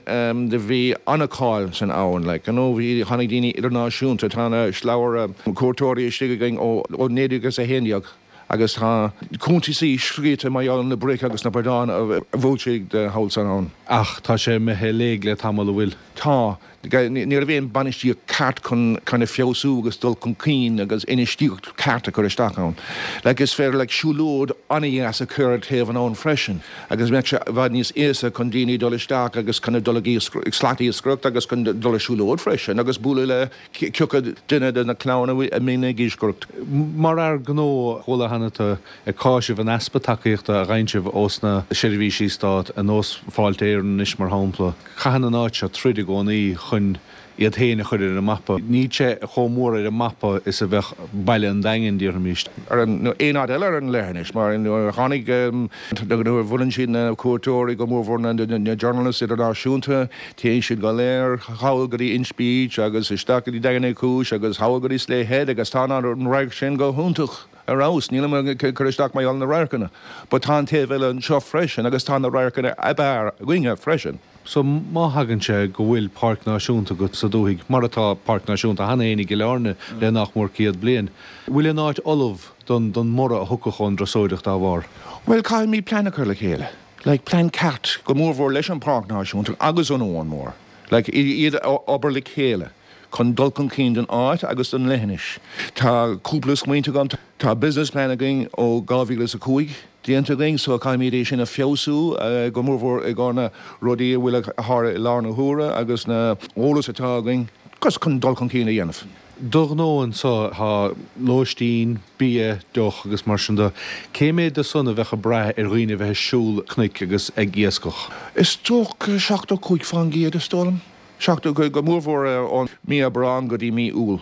do bhí an-cháil san abhainn, like, you know, bhí, tháinig daoine idirnáisiúnta, tá na slabhra cuairteoirí istigh againn ó 1911. Agus tá cuntasaí scríte mar gheall ar na bric agus na bradáin a bhuail siad thall san abhainn. Ach tá sé imithe i léig le tamall, an bhfuil? Tá. Ní raibh aon bainistíocht ceart chun chun é feabhsú agus dul chun cinn agus infheistíocht ceart a chur isteach ann. Like is féidir like siúlóid an-dheas a chur ar taobh an abhainn freisin agus bheadh sé i bhfad níos éasca chun daoine dul isteach agus chun dul ag slatiascaireacht agus chun dul ar siúlóid freisin agus bualadh le Cioca duine de na clanna a mbíonn ag iascaireacht. Mar fhear gnó, chuala cheana tú ag cáiseamh an easpa tacaíochta a gheibheann sibh ós na seirbhísí stát, ar nós Fáilte Éireann anois mar shampla. Caitheann an áit seo troid i gcónaí chun iad féin a chur ar an mapa. Níl sé chomh mór ar an mapa is a bheadh baile an Daingin, déarfaimis. Ar an, nó aon áit eile ar an leithinis, mar nuair a tháinig, nuair a bhuaileann siad na cuairteoirí, go mórmhór na journalists idirnáisiúnta, Téann siad go léir thall go dtí Inch Beach agus isteach go dtí Daingean Uí Chúis agus thall go dtí Slea Head agus tá an radharc sin go hiontach ar fheabhas. Nílim ag cur isteach mar gheall ar na radharcanna but tá an taobh eile anseo freisin agus tá na radharcanna ab fhearr againne freisin. So má thagann sé go bhfuil páirc náisiúnta agat sa dúthaigh, mar atá páirc náisiúnta cheana féin i gCill Airne le nach mór 100 bliain, bhfuil an áit ullamh don don mborradh a thiocfadh ón dturasóireacht dá bharr? Bhuel, caithfimid plean a chur le chéile. Like, plean ceart, go mórmhór leis an Páirc Náisiúnta agus an Abhainn Mhór. Like, iad a obair le chéile chun dul chun cinn don áit agus don leithinis. Tá cúpla smaointe agam. Tá business plan againn ó 2005 déanta againn so caithfimid é sin a feabhsú, go mórmhór i gcomhair na rudaí a bhfuil a tharla i lár na huaire agus na eolas atá againn chun dul chun cinn a dhéanamh. Do ghnó anseo, tá lóistín, bia, deoch agus mar sin de. Cé méad de san a bheadh ag brath ar dhaoine a bheith ag siúl cnoic agus ag iascach? Is dócha 75% is dóigh liom. 70, go mórmhór ón mí Aibreán go dtí mí Iúil.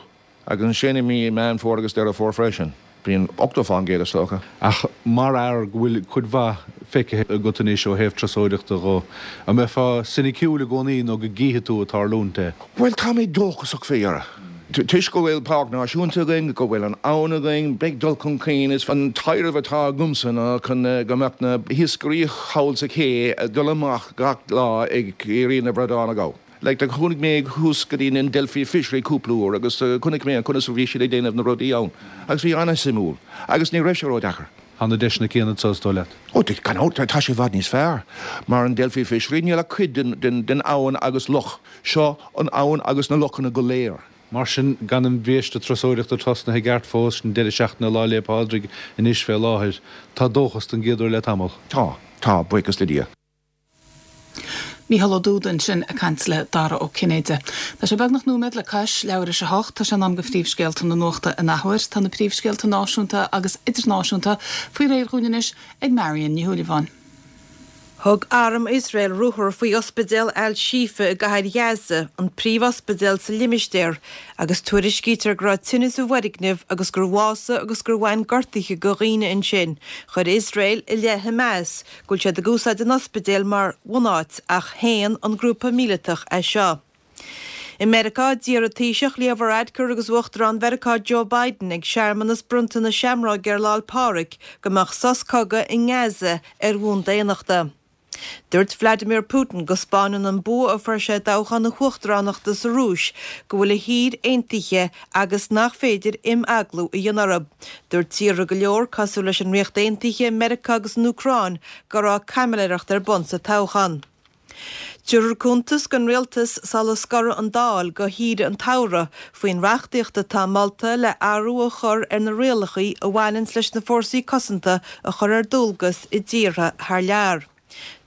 Agus ansin i mí Meán Fómhair agus Deireadh Fómhair freisin, bíonn 80% is dócha. Ach mar fhear go bhfuil cuid mhaith feicthe agat anois ó thaobh turasóireachta dho, an mbeifeá soiniciúil i gcónaí nó go gcífidh tú ag tarlúint é? Bhuel, tá mé dóchasach faoi dheireadh. Toisc go bhfuil páirc náisiúnta againn, go bhfuil an abhainn againn, beidh dul chun cinn. Is an taidhreamh atá agamsa ná chun go mbeadh na hiascairí thall sa ché ag dul amach gach lá ag iarraidh na bradáin a ghabháil. Like, do chuaigh mé thuas go dtí an Delphi Fishery cúpla uair agus chonaic mé conas a bhí siad ag déanamh na rudaí ann agus bhí an-suimiúil agus ní raibh sé ró-deacair. Tá na deiseanna céanna anseo, is dóigh leat? Ó, gan dabht, tá sé i bhfad níos fearr. Mar an Delphi Fishery, níl ach cuid den abhainn agus loch. Seo an abhainn agus na lochanna go léir. Mar sin, gan an bhiaiste turasóireachta tosnaithe i gceart fós, sin deireadh seachtaine Lá 'le Pádraig anois fé láthair, tá dóchas don gcéad uair le tamall. Tá, tá, buíochas le Dia. Mícheál Ó Dúda ansin ag caint le Dara Ó Cinnéide. Tá sé beagnach nóiméad le cois leathuair théis a hocht. Tá sé in am do phríomhscéalta na nuachta in athuair. Tá na príomhscéalta náisiúnta agus idirnáisiúnta faoi réir dhúinn anois ag Marion Ní Shúilleabháin. Thug arm Iosrael ruathar faoi ospidéal Al-Shifa i gcathair Ghaza, an príomhospidéal sa limistéar, agus tuairiscítear go raibh tine sa bhfoirgneamh agus gur bhásaigh agus gur bhain gortuithe do dhaoine ansin. Chuir Iosrael i leith Hamas go bhfuil siad ag úsáid an ospidéil mar bhunáit ach shéan an grúpa míleatach é seo. I Meiriceá, d'iarr an Taoiseach Leo Varadkar agus Uachtarán Mheiriceá Joe Biden ag searmanas bronnta na seamróige ar Lá 'le Pádraig go mbeadh sos cogaidh i nGaza ar bhonn daonnachta. Dúirt Vladimir Putin go 'spáineann an bua a fuair sé i dtoghchán na huachtaránachta sa Rúis go bhfuil a thír aontaithe agus nach féidir imeaglú a dhéanamh orthu. Dúirt tíortha go leor, cosúil leis an Ríocht Aontaithe, Meiriceá agus an Úcráin, go raibh caimiléireacht ar bun sa toghchán. Tabharfar cuntas don Rialtas sula scorfaidh an Dáil go shaoire an tsamhraidh faoin reachtaíocht atá molta le athrú a chur ar na rialacha a bhaineanns leis na fórsaí cosanta a chur ar dualgas i dtíortha thar lear.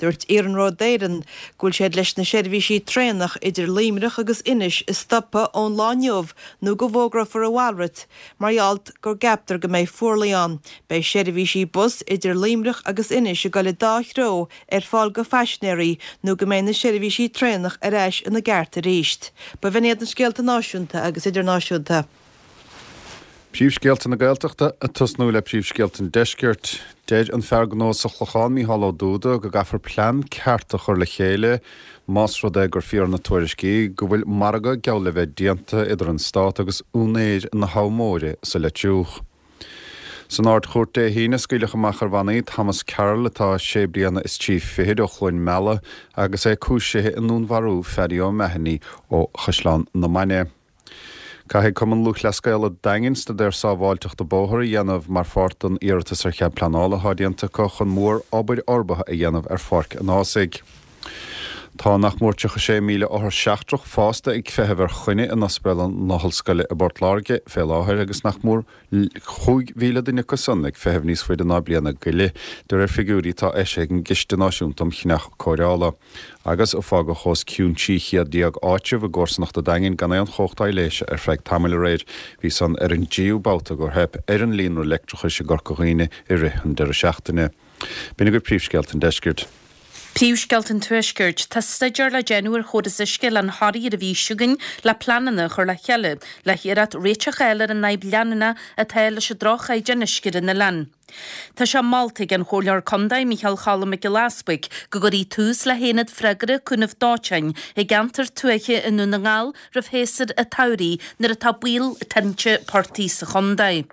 Dúirt Iarnród Éireann go bhfuil siad leis na seirbhísí traenach idir Luimneach agus Inis a stopadh ón lá inniu nó go bhfógrófar a mhalrait mar gheall go gceaptar go mbeidh fuarlaigh ann. Beidh seirbhísí bus idir Luimneach agus Inis ag dul i dá threo ar fáil go phaisinéirí nó go mbeidh na seirbhísí traenach ar ais ina gceart arís. B'in iad na scéalta náisiúnta agus idirnáisiúnta. Príomhscéalta na Gaeltachta ag tosnú le príomhscéalta an Deiscirt. Deir an fear gnó sa Chlochán, Mícheál Ó Dúda, go gcaithfear plean ceart a chur le chéile más rud é gur fíor na tuairiscí go bhfuil margadh geall le bheith déanta idir an Stát agus úinéir na Habha Móire sa Leitriúch. San Ard-Chúirt Dé hAoine, scaoileadh amach ar bhannaí Thomas Carroll, atá sé bliana is trí fichid ó Chluain Meala agus é cúisithe i ndúnmharú Phaddy O'Mahony ó Chaisleán na Mainge. Caithfidh Cumann Lúthchleas Gael an Daingin staidéar sábháilteachta bóthair a dhéanamh mar pháirt den iarratas ar chead pleanála atá déanta acu chun mór obair fhorbartha a dhéanamh ar Pháirc an Ághasaigh. Tá nach mór 36,000 othar seachtrach fásta ag feitheamh ar choinne in Ospidéal na hOllscoile i bPort Láirge fé láthair agus nach mór 5,000 duine acu san ag feitheamh níos faide ná bliain go leith, de réir figiúirí atá eisithe ag an gCiste Náisiúnta um Chinneadh Cóireála. Agus fágadh os cionn 1300 áitreabh i gcomharsanacht an Daingin gan aon chumhacht aibhléise ar feadh tamaill aréir. Bhí san ar an dtríú babhta gur theip ar an líonra leictreachais i gCorca Dhuibhne i rith an deireadh seachtaine. B'in agaibh príomhscéalta an deiscirt. Príomhscéalta an Tuaiscirt. Tá staidéar le déanamh ar chóras uisce Oileán Thoraí ar an mhí seo chugainn le pleananna a chur le chéile le hiarracht réiteach a fháil ar an fhadhb leanúnach atá leis an droch-chaighdeán uisce ar an oileán. Tá sé molta ag an Chomhairleoir Contae Micheál Cholm Mac Giolla Easbuig go gcuirfí tús le hAonad Freagartha Cúnaimh Dóiteáin i gceantar tuaithe i nDún na nGall roimh shéasúr an tsamhraidh nuair atá baol tinte portaigh sa chontae.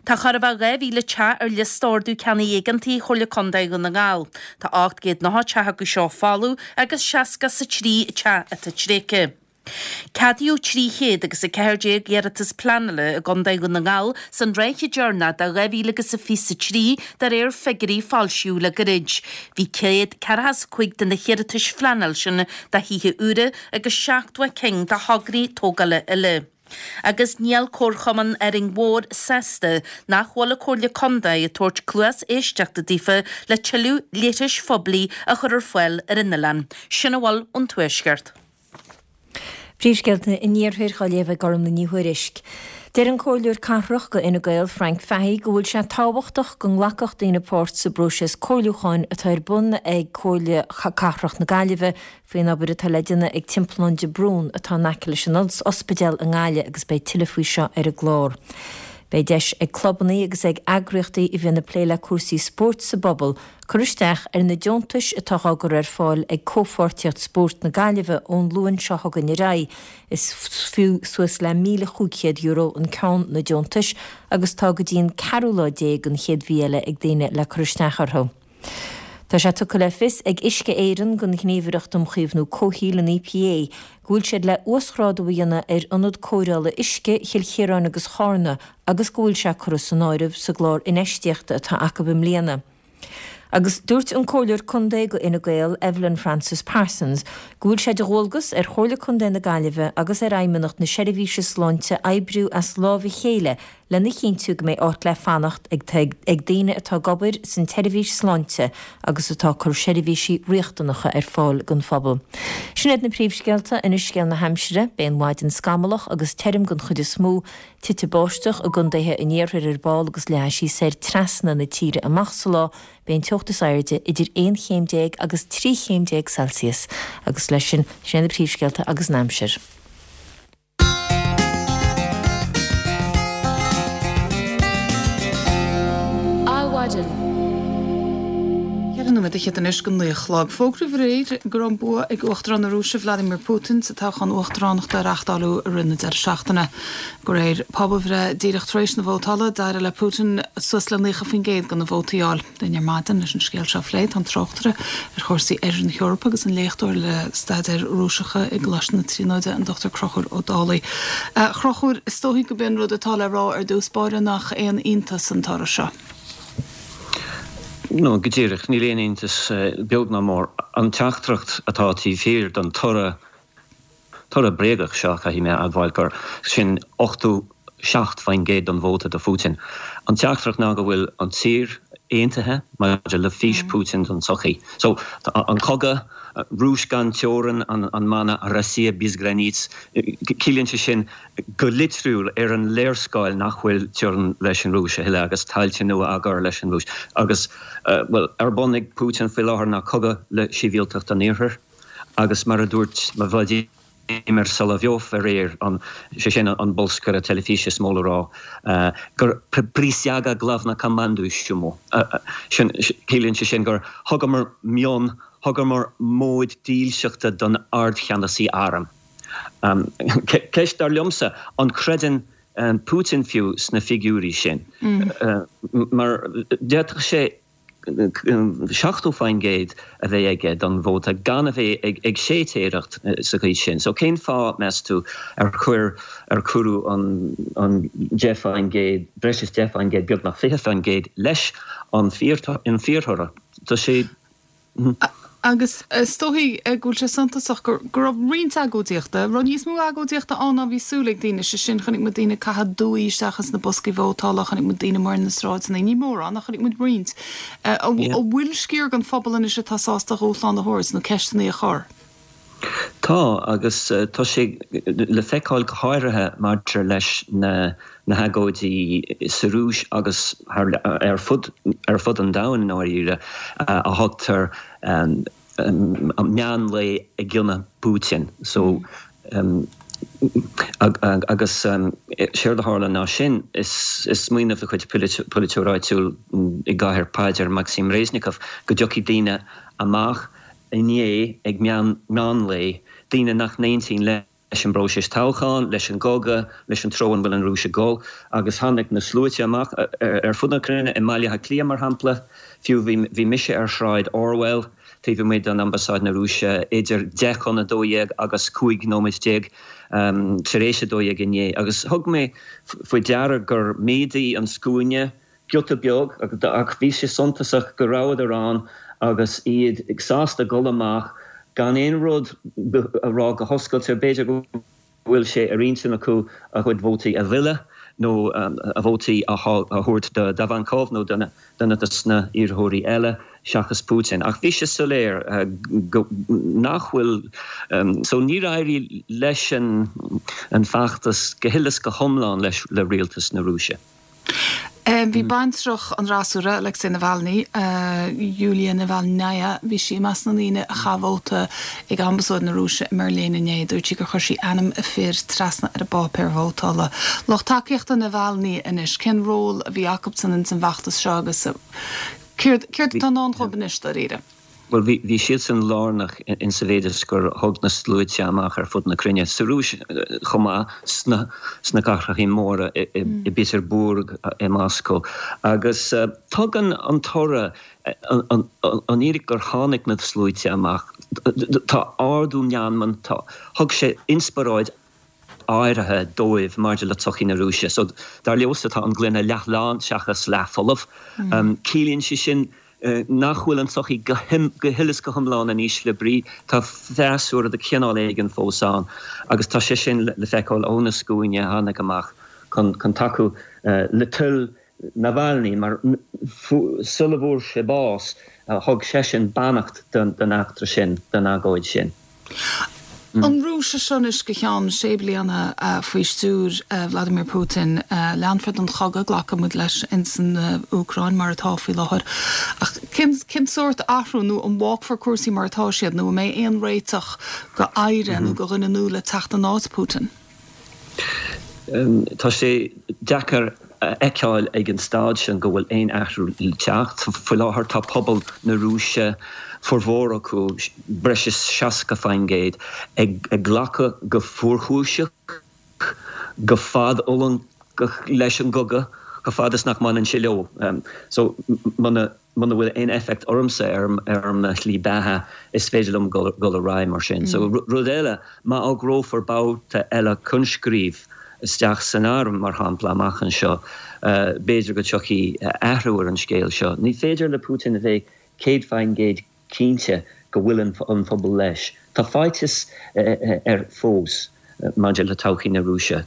Tá chóir a bheith 2,000 teach ar liosta ordú ceannaigh éigeantaigh Chomhairle Contae Dhún na nGall. Tá 890 teach acu seo folamh agus 63 teach atá tréigthe. Ceadaíodh 300 agus 14 iarratas pleanála i gContae Dhún na nGall san ráithe deireanach de 2023 de réir figiúirí a foilsíodh le gairid. Bhí 145 de na hiarratais phleanála sin do thithe úra agus 70 cinn do thograí tógála eile. Agus níl Comharchumann Árainn Mhór sásta nach bhfuil an Comhairle Contae ag tabhairt cluas éisteachta daofa le tuilleadh leithris phoiblí a chur ar fáil ar an oileán. Sin a bhfuil ón Tuaisceart. Príomhscéalta an Iarthair á léamh ag Gormlaith Ní Thuairisg. Deir an Comhairleoir Cathrach do Fhine Gael, Frank Fahey, go bhfuil sé tábhachtach go nglacfadh daoine páirt sa bpróiseas comhairliúcháin atá ar bun ag Comhairle Cathrach na Gaillimhe faoin obair atá le déanamh ag Timpeallán de Brún atá in aice leis an ospidéal i nGaillimh agus beidh tuilleadh faoi seo ar an gclár. Beidh deis ag clubannaí agus ag eagraíochtaí a bhíonn ag plé le cúrsaí spóirt sa bpobal cur isteach ar na deontais atá á gcur ar fáil ag Comhpháirtíocht Spóirt na Gaillimhe ón Luan seo chugainn ar aghaidh. Is fiú suas le €1,500 an ceann na deontais agus tá go dtí an ceathrú lá déag den chéad mhí eile ag daoine le cur isteach orthu. Tá sé tugtha le fios ag Uisce Éireann don Ghníomhaireacht um Chaomhnú Comhshaoil, an EPA, go bhfuil siad le uasghrádú a dhéanamh ar Ionad Cóireála Uisce Chill Chiaráin agus Charna agus go bhfuil sé curtha san áireamh sa gclár infheistíochta atá acu i mbliana. Agus dúirt an Comhairleoir Contae do Fhine Gael, Evelyn Frances Parsons, go bhfuil sé de dhualgas ar Chomhairle Contae na Gaillimhe agus ar Fheidhmeannacht na Seirbhíse Sláinte oibriú as lámh a chéile lena chinntiú go mbeidh áit le fanacht ag ag daoine atá ag obair san tseirbhís sláinte agus atá ag cur seirbhísí riachtanacha ar fáil don phobal. Sin iad na príomhscéalta, anois scéal na haimsire, beidh an mhaidin scamallach agus tirim den chuid is mó, titfidh báisteach i gcontaetha an iarthair ar ball agus leathfaidh sí soir trasna na tíre amach sa lá, beidh an teocht is airde idir 11 chéim agus 13 chéim Celsius. Agus leis sin, sin iad na príomhscéalta agus an aimsir. Adhmhaidin. 4 nóiméad fhichead anois go 9 a chlog. Fógraíodh aréir go raibh an bua ag Uachtarán na Rúise Vladimir Putin sa toghchán uachtaránachta a reáchtáladh i rith na deireadh seachtaine. De réir pobalbhreith díreach tar éis na vótála, d'éirigh le Putin suas le 90% de na vótaí a fháil. Linn ar maidin leis an scéal seo a phlé tá an tráchtaire ar chúrsaí Oirthear na hEorpa agus an léachtóir le staidéir Rúiseacha i gColáiste na Tríonóide, an Dr Conchúr Ó Dálaigh. A Chonchúir, is dóichí gurb é an rud atá le rá ar dtús báire nach aon iontas an toradh seo. No, go díreach, níl aon iontas, beag ná mór. An teachtaireacht atá taobh thiar den toradh, Toradh bréagach seo, caithfidh mé a admháil gur sin 87% den vóta do Phutin. An teachtaireacht ná go bhfuil an tír aontaithe maidir le fís Putin don tsochaí. So, an cogadh, Rúis gan teorainn, an mana Rossiya bez granits, ciallaíonn sé sin go litriúil ar an léarscáil nach bhfuil teorainn leis an Rúis a thuilleadh agus tailte nua á gcur leis an Rúis. Agus, bhuel, ar bun ag Putin faoi láthair ná cogadh le sibhialtacht an Iarthair. Agus mar a dúirt Vladimir Solovyov aréir, sé sin an bolscaire teilifíse is mó le rá, gur prisyaga glavnokomanduyushchemu, sin, ciallaíonn sé sin gur thugamar mionn, thugamar móid dílseachta don ardcheannasaí airm. Ceist, dar liomsa, an creideann Putin fiú sna figiúirí sin? Mar d'fhéadfadh sé 70% a bheith aige don vóta gan a bheith ag séitéireacht sa gcaoi sin. So cén fáth, meas tú, ar chuir, ar cuireadh an 10%, breis is 10%, beagnach 20% leis an fíorthoradh? Tá sé. Agus is dóichí go bhfuil sé suntasach go raibh roinnt agóidíochta, raibh níos mó agóidíochta ann ná bhí súil ag daoine, sé sin, chonaic muid daoine ag caitheamh dúigh isteach ins na boscaí vótála, chonaic muid daoine amuigh ar na sráideanna, ní mórán ach chonaic muid roinnt. An bhfuil sciar den phobal anois atá sásta dúshlán a thabhairt nó ceisteanna a chur? Tá, agus tá sé le feiceáil go háirithe maidir leis na hagóidí sa Rúis agus ar fud ar fud an domhain i ndáiríre, a thugtar meán lae ag ionadh Putin. So, agus séard a tharla ná sin, is smaoineamh de chuid polaiteoir áitiúil i gcathair Paidir, Maxim Reznikov, go dtiocfaidh daoine amach inné ag meán lae, daoine nach n-aontaíonn leis. leis an bpróiseas toghcháin, leis an gcogadh, leis an treo an bhfuil an Rúis ag dul agus tháinig na sluaite amach ar fud na cruinne, i mBaile Átha Cliath mar shampla, fiú bhí mise ar Shráid Orwell taobh amuigh den Ambasáid na Rúise idir 10 chun 12 agus 15 nóiméad tar éis 12 inné agus thug mé faoi deara gur mhéadaigh an scuaine giota beag, ach bhí sé suntasach go rabhadar ann agus iad sásta dul amach gan aon rud a rá go hoscailte. B'fhéidir go bhfuil sé ar intinn acu a gcuid vótaí a mhilleadh nó a vótaí a thabhairt do Davankov nó duine de na hiarrthóirí eile seachas Putin. Ach bhí sé soiléir go nach bhfuil so níor éirigh leis an bhfeachtas go huile is go hiomlán leis le rialtas na Rúise. Bhí baintreach an fhreasúra, Alexei Navalny, Yulia Navalnaya, bhí sí i measc na ndaoine a chaith vóta ag Ambasáid na Rúise i mBeirlín inné. Dúirt sí gur chuir sí ainm a fir trasna ar an bpáipéar vótála. Lucht tacaíochta Navalny anois, cén ról a bhí acubsan ins an bhfeachtas seo agus céard atá i ndán dhóibh anois, dáiríre? Bhuel, bhí, bhí siadsan lárnach in sa mhéid is gur thug na sluaite amach ar fud na cruinne, sa Rúis chomh maith, sna, sna cathrachaí móra, i, i, i bPetersburg, i Moscow. Agus tugann an toradh, an, an, an fhíric gur tháinig na sluaite amach, tá ardú meanman, tá, thug sé inspioráid áirithe dóibh maidir le tsochaí na Rúise. So, dar leosa, tá an gloine leath lán seachas leath folamh. Ciallaíonn sé sin nach bhfuil an tsochaí go huile is go hiomlán in ísle brí. Tá freasúra de chineál éigin fós ann agus tá sé sin le feiceáil ó na scuainí a tháinig amach chun tacú le toil Navalny, mar sula bhfuair sé bás, thug seisean beannacht don eachtra sin, don agóid sin. An Rúis seo anois go ceann sé bliana faoi stiúir Vladimir Putin. Leanfar den chogadh, glacfaidh muid leis, ins an Úcráin mar atá faoi láthair. Ach cén sórt athrú, nó an bhfágfar cúrsaí mar atá siad, nó an mbeidh aon réiteach go aire nó go dhuine nua le teacht in áit Putin? Tá sé deacair a fheiceáil ag an staid sin go bhfuil aon athrú le teacht. Faoi láthair tá pobal na Rúise, formhór acu, breis is 60%, ag glacadh go fuarchúiseach, go fadfhulangach leis an gcogadh, chomh fada is nach mbaineann sé leo. So, muna. Muna bhfuil aon effect ormsa ar mo shlí beatha, is féidir liom dul ar aghaidh mar sin. So, rud eile, má fhógrófar babhta eile coinscríobh isteach san arm, mar shampla, amach anseo, b'fhéidir go dtiocfaidh athrú ar an scéal seo. Ní féidir le Putin a bheith 100% cinnte go bhfuil an phobal leis. Tá faitíos air fós maidir le todhchaí na Rúise.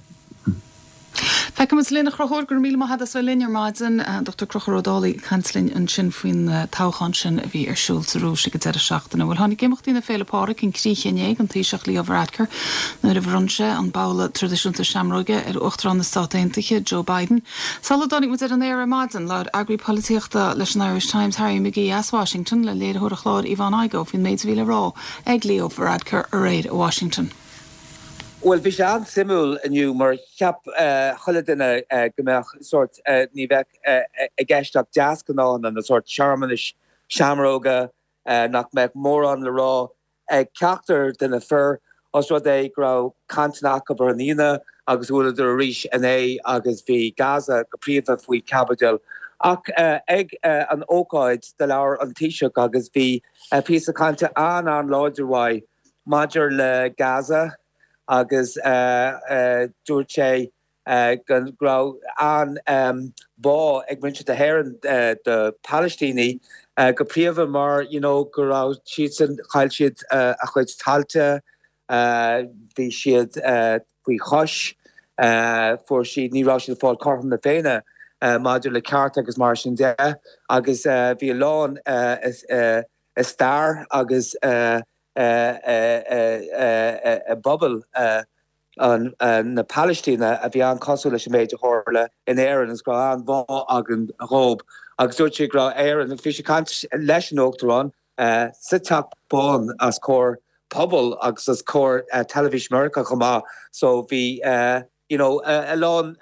Feicfidh muid linn, a Chonchúir, go raibh míle maith agat as bheith linn ar maidin. Dr Conchúr Ó Dálaigh ag caint linn ansin faoin toghchán sin a bhí ar siúl sa Rúis ag an deireadh seachtaine. Bhuel, tháinig imeachtaí na Féile Pádraig chun críche inné don Taoiseach Leo Varadkar nuair a bhronn sé an babhla traidisiúnta seamróige ar Uachtarán na Stát Aontaithe, Joe Biden. Sula dtáinig muid ar an aer ar maidin, labhair eagraí polaitíochta leis an Irish Times, Harry McGee as Washington, le léiritheoir an chláir Yvonne Igoe faoin méid a bhí le rá ag Leo Varadkar aréir i Washington. Bhuel, bhí sé an-suimiúil inniu mar cheap chuile duine go mbeadh sórt, ní bheadh i gceist ach deasghnáthanna nó sórt searmanais seamróga, nach mbeadh mórán le rá ag ceachtar de na fir, os rud é go raibh cainteanna acu ar an Aoine agus bhuaileadar arís inné agus bhí Gaza go príomha faoi chaibidil. Ach ag an ócáid do labhair an Taoiseach agus bhí píosa cainte an-an-láidir uaidh maidir le Gaza agus dúirt sé go raibh an-bhá ag muintir na hÉireann do Palaistínigh, go príomha mar you know go raibh siadsan, chaill siad a chuid tailte, bhí siad faoi chois, fuair siad, ní raibh siad ag fáil cothrom na Féinne maidir le cearta agus mar sin de agus bhí a lán i stair agus i bpobal na Palaistíne a bhí an-chosúil leis an méid a tharla in Éirinn agus go raibh an-bhá againn dhób. Agus dúirt sé go raibh Éirinn, bhí sé ag caint leis an Uachtarán sa Teach Bán os comhair pobal agus os comhair teilifís Meiriceá chomh maith so bhí you know a lán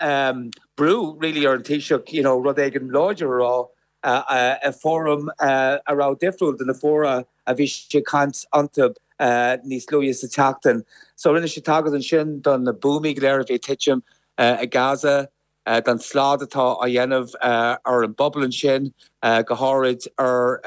brú really ar an Taoiseach you know rud éigin láidir a rá i bhfóram a raibh difriúil de na fóra a bhí sé ag caint iontu. níos luaithe sa tseachtain. So rinne sé tagairt ansin do na buamaí go léir a bhí ag titim i Gaza, don slad atá á dhéanamh ar an bpobal ansin, go háirid ar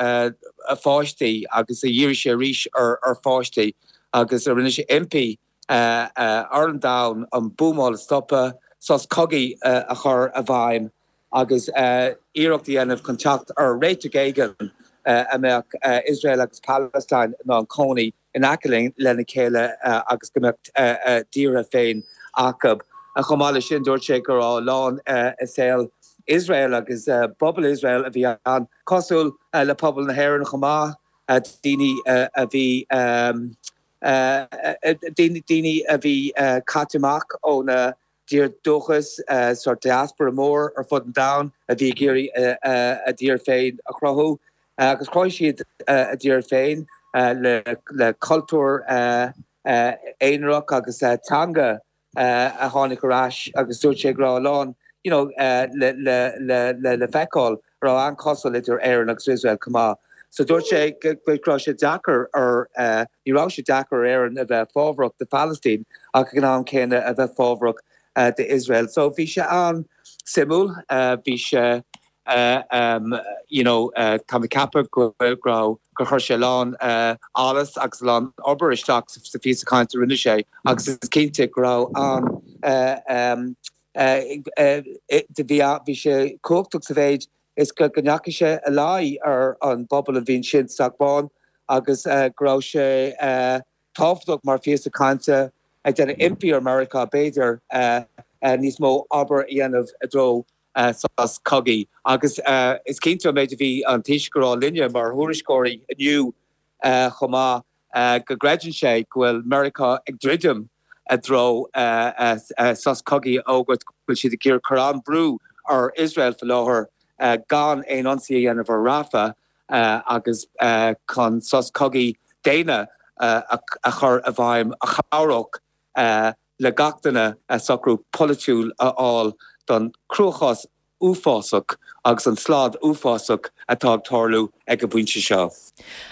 pháistí agus dhírigh sé arís ar pháistí agus rinne sé impí ar an domhan an buamáil a stopadh, sos cogaidh a chur i bhfeidhm agus iarracht a dhéanamh chun teacht ar réiteach éigin a mbeadh Iosrael agus Palestine in ann cónaí in aice lena chéile agus go mbeadh a dtíortha féin acu. Chomh maith leis sin, dúirt sé go raibh a lán i saol Iosrael agus bpobal Iosrael a bhí an-chosúil le pobal na hÉireann chomh maith, daoine a bhí daoine a bhí caite amach óna dtír dúchais, sórt diaspora mór ar fud an domhain a bhí ag iarraidh a dtír féin a chruthú. Agus chruthaigh siad a dtír féin le cultúr aonarach agus teanga a tháinig ar ais agus dúirt sé go raibh a lán you know le le le feiceáil a raibh an-chosúil idir Éirinn agus Iosrael chomh maith. So dúirt sé go raibh sé deacair ar, ní raibh sé deacair ar Éirinn a bheith fábharach do Phalaistín ach ag an am céanna a bheith fábharach d'Iosrael. So bhí sé an-suimiúil, bhí sé you know tá mé ag ceapadh go raibh, gur chuir sé a lán allas agus a lán obair isteach sa phíosa cainte a rinne sé agus is cinnte go raibh an bhí sé cumhachtach sa mhéid is go ndeachaigh sé i láí ar an bpobal a bhí ansin sa Teach Bán agus go raibh sé tábhachtach mar phíosa cainte ag déanamh impí ar Meiriceá b'fhéidir níos mó obair a dhéanamh i dtreo sos cogaidh. Agus is cinnte an méid a bhí an Taoiseach a rá linne mar thuairisceoirí inniu chomh maith, go gcreideann sé go bhfuil Meiriceá ag druidim i dtreo sos cogaidh a fhógairt, go bhfuil siad ag iarraidh cur an-bhrú ar Iosrael faoi láthair gan aon ionsaí a dhéanamh ar Rafah agus chun sos cogaidh daonna a chur i bhfeidhm a chabhródh le gach duine socrú polaitiúil a fháil don chruachás uafásach agus an slad uafásach atá ag tarlú ag an bpointe seo.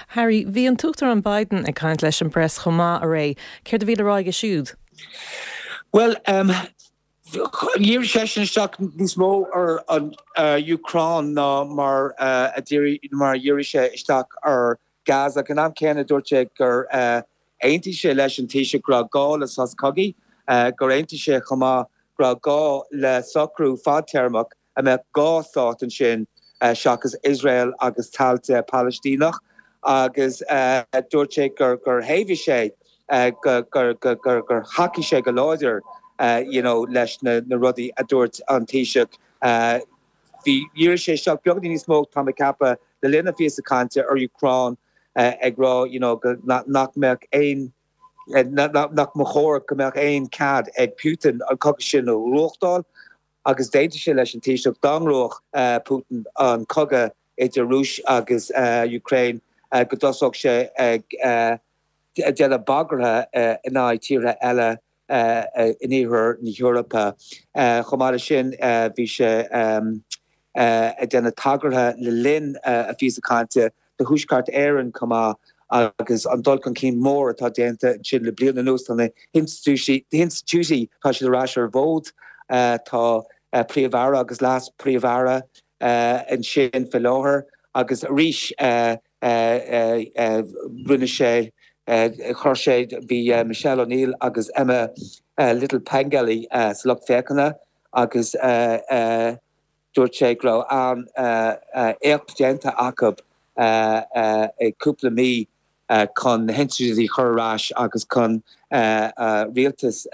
Harry, bhí an tUachtarán Biden ag caint leis an bpreas chomh maith aréir. Céard a bhí le rá aige siúd? Bhuel, dhírigh seisean isteach níos mó ar an Úcráin ná mar a dhírigh sé isteach ar Gaza. Ag an am céanna, dúirt sé gur aontaigh sé leis an Taoiseach go raibh gá le sos cogaidh, gur aontaigh sé chomh maith go raibh gá le socrú fadtéarmach a mbeadh dhá stát ansin seachas Iosrael agus tailte Palaistíneach agus dúirt sé gur thaobhaigh sé, gur thacaigh sé go láidir you know leis na rudaí a dúirt an Taoiseach. Bhí, dhírigh sé isteach beagáinín níos mó, tá mé ag ceapadh, le linn a phíosa cainte ar Úcráin ag rá you know go nach mbeadh aon, nach mba chóir go mbeadh aon cead ag Putin an cogadh sin a ghnóthachtáil agus d'aontaigh sé leis an Taoiseach dá ngnóthódh Putin an cogadh idir Rúis agus Ukraine go dtosódh sé ag déanamh bagartha in aghaidh tíortha eile in iarthar na hEorpa. Chomh maith leis sin, bhí sé ag déanamh tagartha le linn a phíosa cainte do Thuaisceart Éireann chomh maith agus an dul chun cinn mór atá déanta ansin le bliain anuas. Tá na hinstitiúidí, tá siad ar ais ar an bhfód. Tá Príomh-Aire agus Leas-Phríomh-Aire ansin faoi láthair agus arís rinne sé, chuir sé, bhí Michelle O'Neill agus Emma Little Pengelly sa lucht féachana agus dúirt sé go raibh an-éacht déanta acu i gcúpla mí chun na hinstitiúidí a chur ar ais agus chun rialtas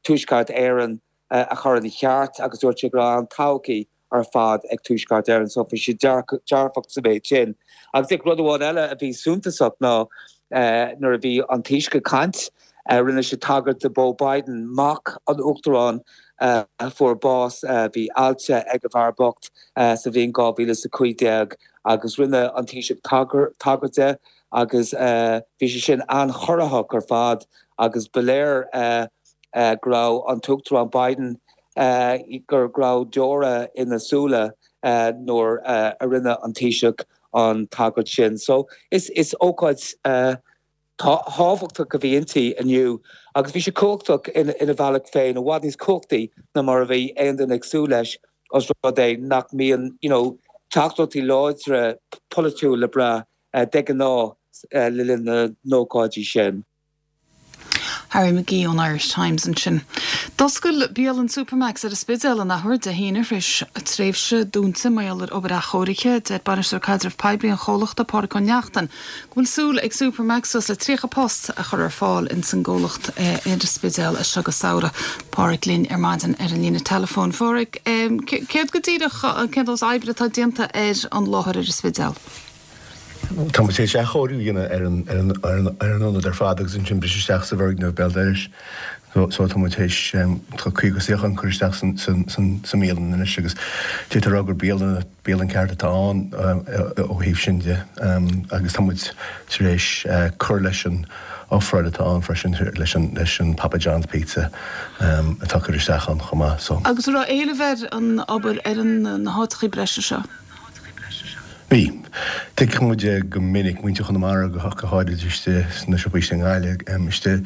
Tuaisceart Éireann a chur ina cheart agus dúirt sé go raibh an-todhchaí ar fad ag Tuaisceart Éireann so bhí sé dearfach sa mhéid sin. Agus rud amháin eile a bhí suntasach ná nuair a bhí an Taoiseach ag caint, rinne sé tagairt do Beau Biden, mac an Uachtaráin a fuair bás, bhí ailse ag an bhfear bocht sa bhliain 2015 agus rinne an Taoiseach tagairt de agus bhí sé sin an-chorraitheach ar fad agus ba léir go raibh an tUachtarán Biden, go raibh deora ina súile nuair a rinne an Taoiseach an tagairt sin. So is ócáid. thábhachtach a bhí inti inniu agus bhí sé cumhachtach ina bhealach féin, i bhfad níos cumhachtaí ná mar a bhí aon duine ag súil leis os rud é nach mbíonn you know teachtaireachtaí láidre polaitiúil le brath de ghnáth le linn na n-ócáidí sin. Harry McGee ón Irish Times ansin. D'oscail bialann Supermacs ar an Spidéal an athuair Dé hAoine tar éis tréimhse dúnta mar gheall ar obair athchóirithe. Deir Bainisteoir Caidrimh Poiblí an chomhlachta, Pádraic Ó Neachtain, go bhfuil súil ag Supermacs suas le 30 post a chur ar fáil ins an gcomhlacht ar an Spidéal as seo go samhradh. Pádraic linn ar maidin ar an líne teileafóin. Phádraic, céard go díreach, cén dóigh oibre atá déanta ar an láthair ar an Spidéal? Tá muid tar éis athchóiriú a dhéanamh ar an ar an ionad ar fad agus ansin briseadh isteach sa bhfoirgneamh béal dorais. So tá muid tar éis, tá 50 suíochán curtha isteach sa mbialann anois agus d'fhéadfá a rá gur bialann, bialann ceart atá ann ó thaobh sin de agus tá muid tar éis cur leis an ofráil atá ann freisin leis an leis an Papa John's Pizza atá curtha isteach ann chomh maith. So. Agus an raibh éileamh ar an obair ar an na háiteachaí breise seo? Bhí. Tuigeann muid go minic, muintir Chonamara go háirid istigh sna siopaí istigh i nGaillimh, istigh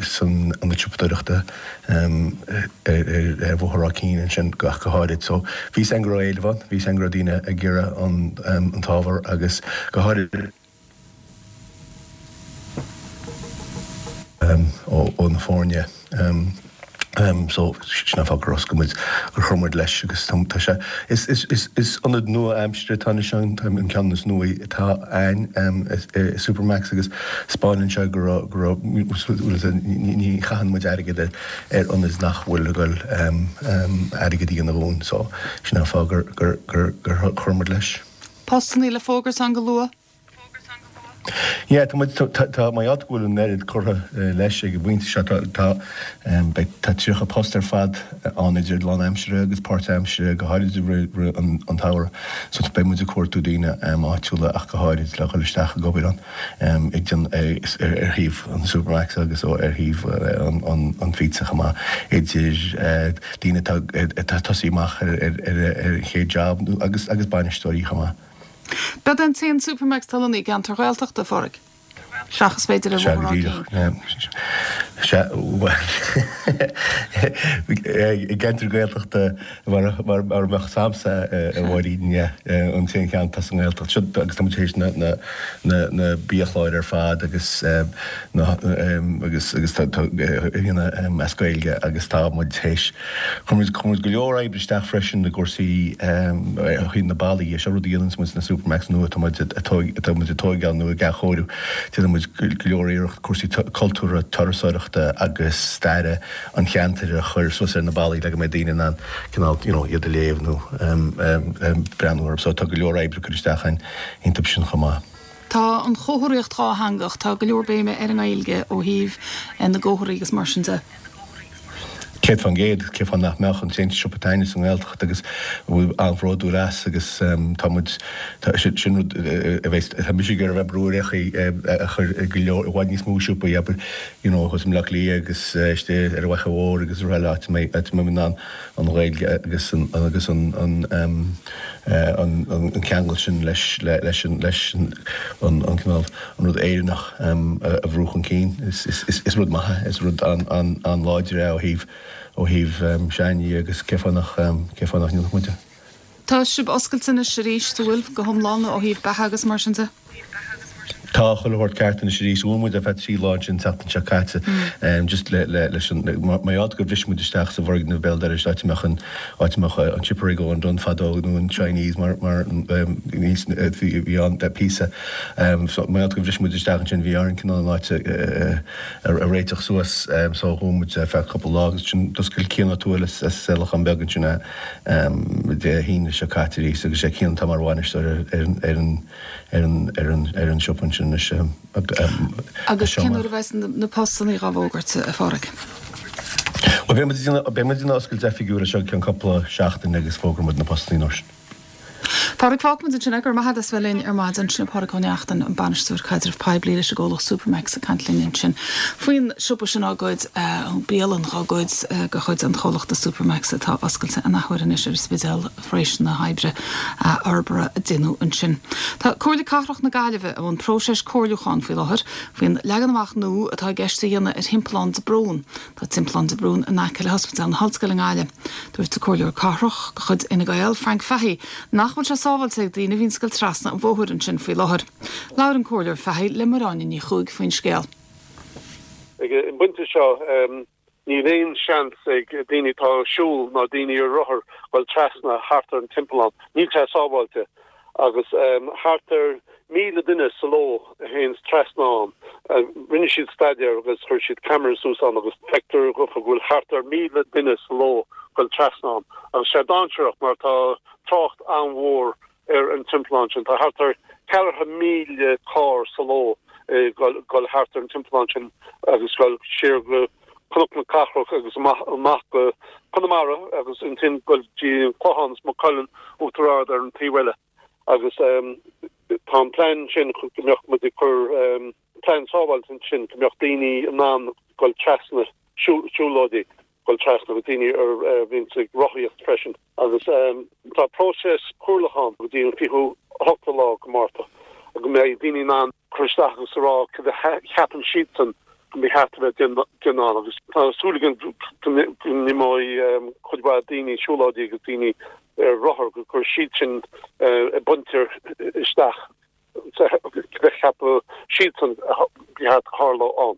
san ionad siopadóireachta ar Bhóthar Ráth Cinn ansin ach go háirid. So bhí 's againn go raibh éileamh ann, bhí 's againn go raibh daoine ag iarraidh an t-ábhar agus go háirid, ó na foirne so sin an fáth gur oscail muid, gur chuir muid leis agus tá sé, is, is, is, is ionad nua-aimseartha atá anois ann, an ceann is nuaí atá ann i Supermacs agus 'spáineann sé go raibh, go raibh, ní chaitheann muid airgead ar, ar ionaid nach bhfuil ag dul airgead a dhéanamh dhúinn so sin an fáth gur, gur, gur, gur chuir muid leis. Postannaí le fógairt ann go luath? Yeah, tá muid, tá, mar gheall go bhfuil an oiread curtha leis ag an bpointe seo, tá, tá, beidh, tá 30 post ar fad ann idir lánaimseartha agus páirtaimseartha, go háirid i rith, rith an, an tsamhraidh. So beidh muid ag cuartú daoine áitiúla ach go háirid le dhul isteach ag obair ann, ag déan, ar, ar thaobh an Supermacs agus ó, ar thaobh an, an, an phizza chomh maith, idir daoine atá, atá ag tosaí amach ar, ar, ar, ar an chéad job agus, agus bainisteoirí chomh maith. B'é an t-aon Supermacs atá lonnaithe i gceantar Ghaeltachta, a Phádraig? Seachas b'fhéidir ar Sea, go Bhóthar Ráth díreach. Cinn. Sea, bhuel, i gceantar Gaeltachta mar a mbeadh 's a'msa, a Mháirín, yeah, an t-aon cheann atá sa nGaeltacht. Seo, agus tá muid tar éis na biachláir ar fad agus na, agus agus tá, tá, as Gaeilge agus tá muid tar éis Chuir muid, chuir muid go leor oibre isteach freisin i gcúrsaí ó thaobh na ballaí dhe. Seo rud a dhéananns muid sna Supermacs nua atá muid atá muid ag tóigeáil nó ag athchóiriú. Déanann muid go leor iarracht cúrsaí cultúrtha, turasóireachta agus staire an cheantair a chur suas ar na ballaí le go mbeidh daoine in ann cineál you know iad a léamh nó breathnú orthu. So tá go leor oibre curtha isteach againn iontu sin chomh maith. Tá an chomharthaíocht dhátheangach, tá go leor béime ar an nGaeilge ó thaobh na gcomharthaí agus mar sin de. 100%, cén fáth nach mbeadh, an t-aon siopa atá againne sa nGaeltacht agus a bhfuil an-bhródúil as agus tá muid, tá, sin rud a bheas, tá mise ag iarraidh a bheith ag brú ar aghaidh a chur i go leor, i bhfad níos mó siopaí, abair, you know, thuas i mBleá Cliath agus istigh ar an bhFaiche Mhór agus araile áit a mbeidh, áit a mbeidh in ann an Ghaeilge agus an, agus an, an, an, an ceangal sin leis, leis an, leis an, an cineál. an rud Éireannach a bhrú chun cinn. Is rud maith é, is rud an-láidir é ó thaobh ó thaobh sean-ní agus cén fáth nach cén fáth nach ndéanfadh muid é. Tá sibh oscailte anois arís, an bhfuil, go hiomlán ó thaobh beatha agus mar sin de? Tá chuile shórt ceart anois arís. Dhún muid ar feadh 3 lá ansin an tseachtain seo caite just le le leis an mar gheall gur bhris muid isteach sa bhfoirgneamh béal dorais áit a mbeadh an áit a mbeadh an siopa ag Eoin Dunne fadó nó an Chinese mar mar níos bhí ann píosa. So mar gheall gur bhris muid isteach ansin bhí orainn cineál an áit a réiteach suas so dhún muid ar feadh cúpla lá agus ansin d'oscail Cian Ó Tuathail as Lochán Beag ansin Dé hAoine seo caite arís agus sé Cian atá mar bhainisteoir ar an ar an ar an ar an siopa ansin anois Agus cén uair a bheas na postannaí dhá bhfógairt, a Phádraig? Bhuel beidh muid ag déanamh beidh muid ag déanamh oscailt oifigiúil anseo i gceann cúpla seachtain agus fógróidh muid na postannaí an uair sin. Pádraig, fágfaimid ansin é. Go raibh maith agat as bheith linn ar maidin. Sin é Pádraig Ó Neachtain, an Bainisteoir Caidrimh Poiblí leis an gcomhlacht Supermac's ag caint linn ansin faoin siopa sin á ghoid, bialann dhá ghoid de chuid an chomhlachta Supermac's atá oscailte an athuair anois ar an Spidéal tar éis na hoibre forbartha a déanadh ansin. Tá Comhairle Cathrach na Gaillimhe i mbun próiseas comhairliúcháin faoi láthair faoin leagan amach nua atá i gceist a dhéanamh ar Thimpeallán de Brún. Tá Timpeallán de Brún in aice le hOspidéal na hOllscoile i nGaillimh. Dúirt an Comhairleoir Cathrach de chuid Fhine Gael, Frank Fahey, nach bhfuil sé sábháilte ag daoine a bhíonns ag dul trasna an bhóthair ansin faoi láthair. Labhair an Comhairleoir Fahey le Máire Áine Ní Chuaig faoin scéal. Ag an bpointe seo, níl aon seans ag daoine atá ag siúl ná daoine ar rothar dul trasna thart ar an timpeallán. Níl sé sábháilte. Agus thart ar 1,000 duine sa ló a théanns trasna ann. Rinne siad staidéar agus chuir siad ceamara suas ann agus feictear dhófa go bhfuil thart ar 1,000 duine sa ló dul trasna ann. Agus sé dainséarach mar tá trácht an-mhór ar an timpeallán sin. Tá thart ar 4,000 carr sa ló ag dul thart ar an timpeallán sin agus dul siar go Cnoc na Cathrach agus amach go Conamara agus ansin dul dtí an Clochán is Maigh Cuilinn, Uachtar Ard ar an taobh eile. Agus tá an plean sin go mbeadh muid ag cur plean sábháilte ansin go mbeadh daoine in ann dul trasna siúlóidí dul trasna agus daoine a bhíonns ag rothaíocht freisin. Agus tá próiseas comhairliúcháin go dtí an 28ú lá go Márta go mbeidh daoine in ann cur isteach agus a rá cad a cheapann siadsan go mba cheart a bheith déanta ann. Agus tá súil againn go n-imeoidh cuid mhaith daoine, siúlóidí agus daoine ar rothar, go gcuirfidh siad sin a bpointe isteach cad a cheapann siadsan ba cheart a tharlódh ann.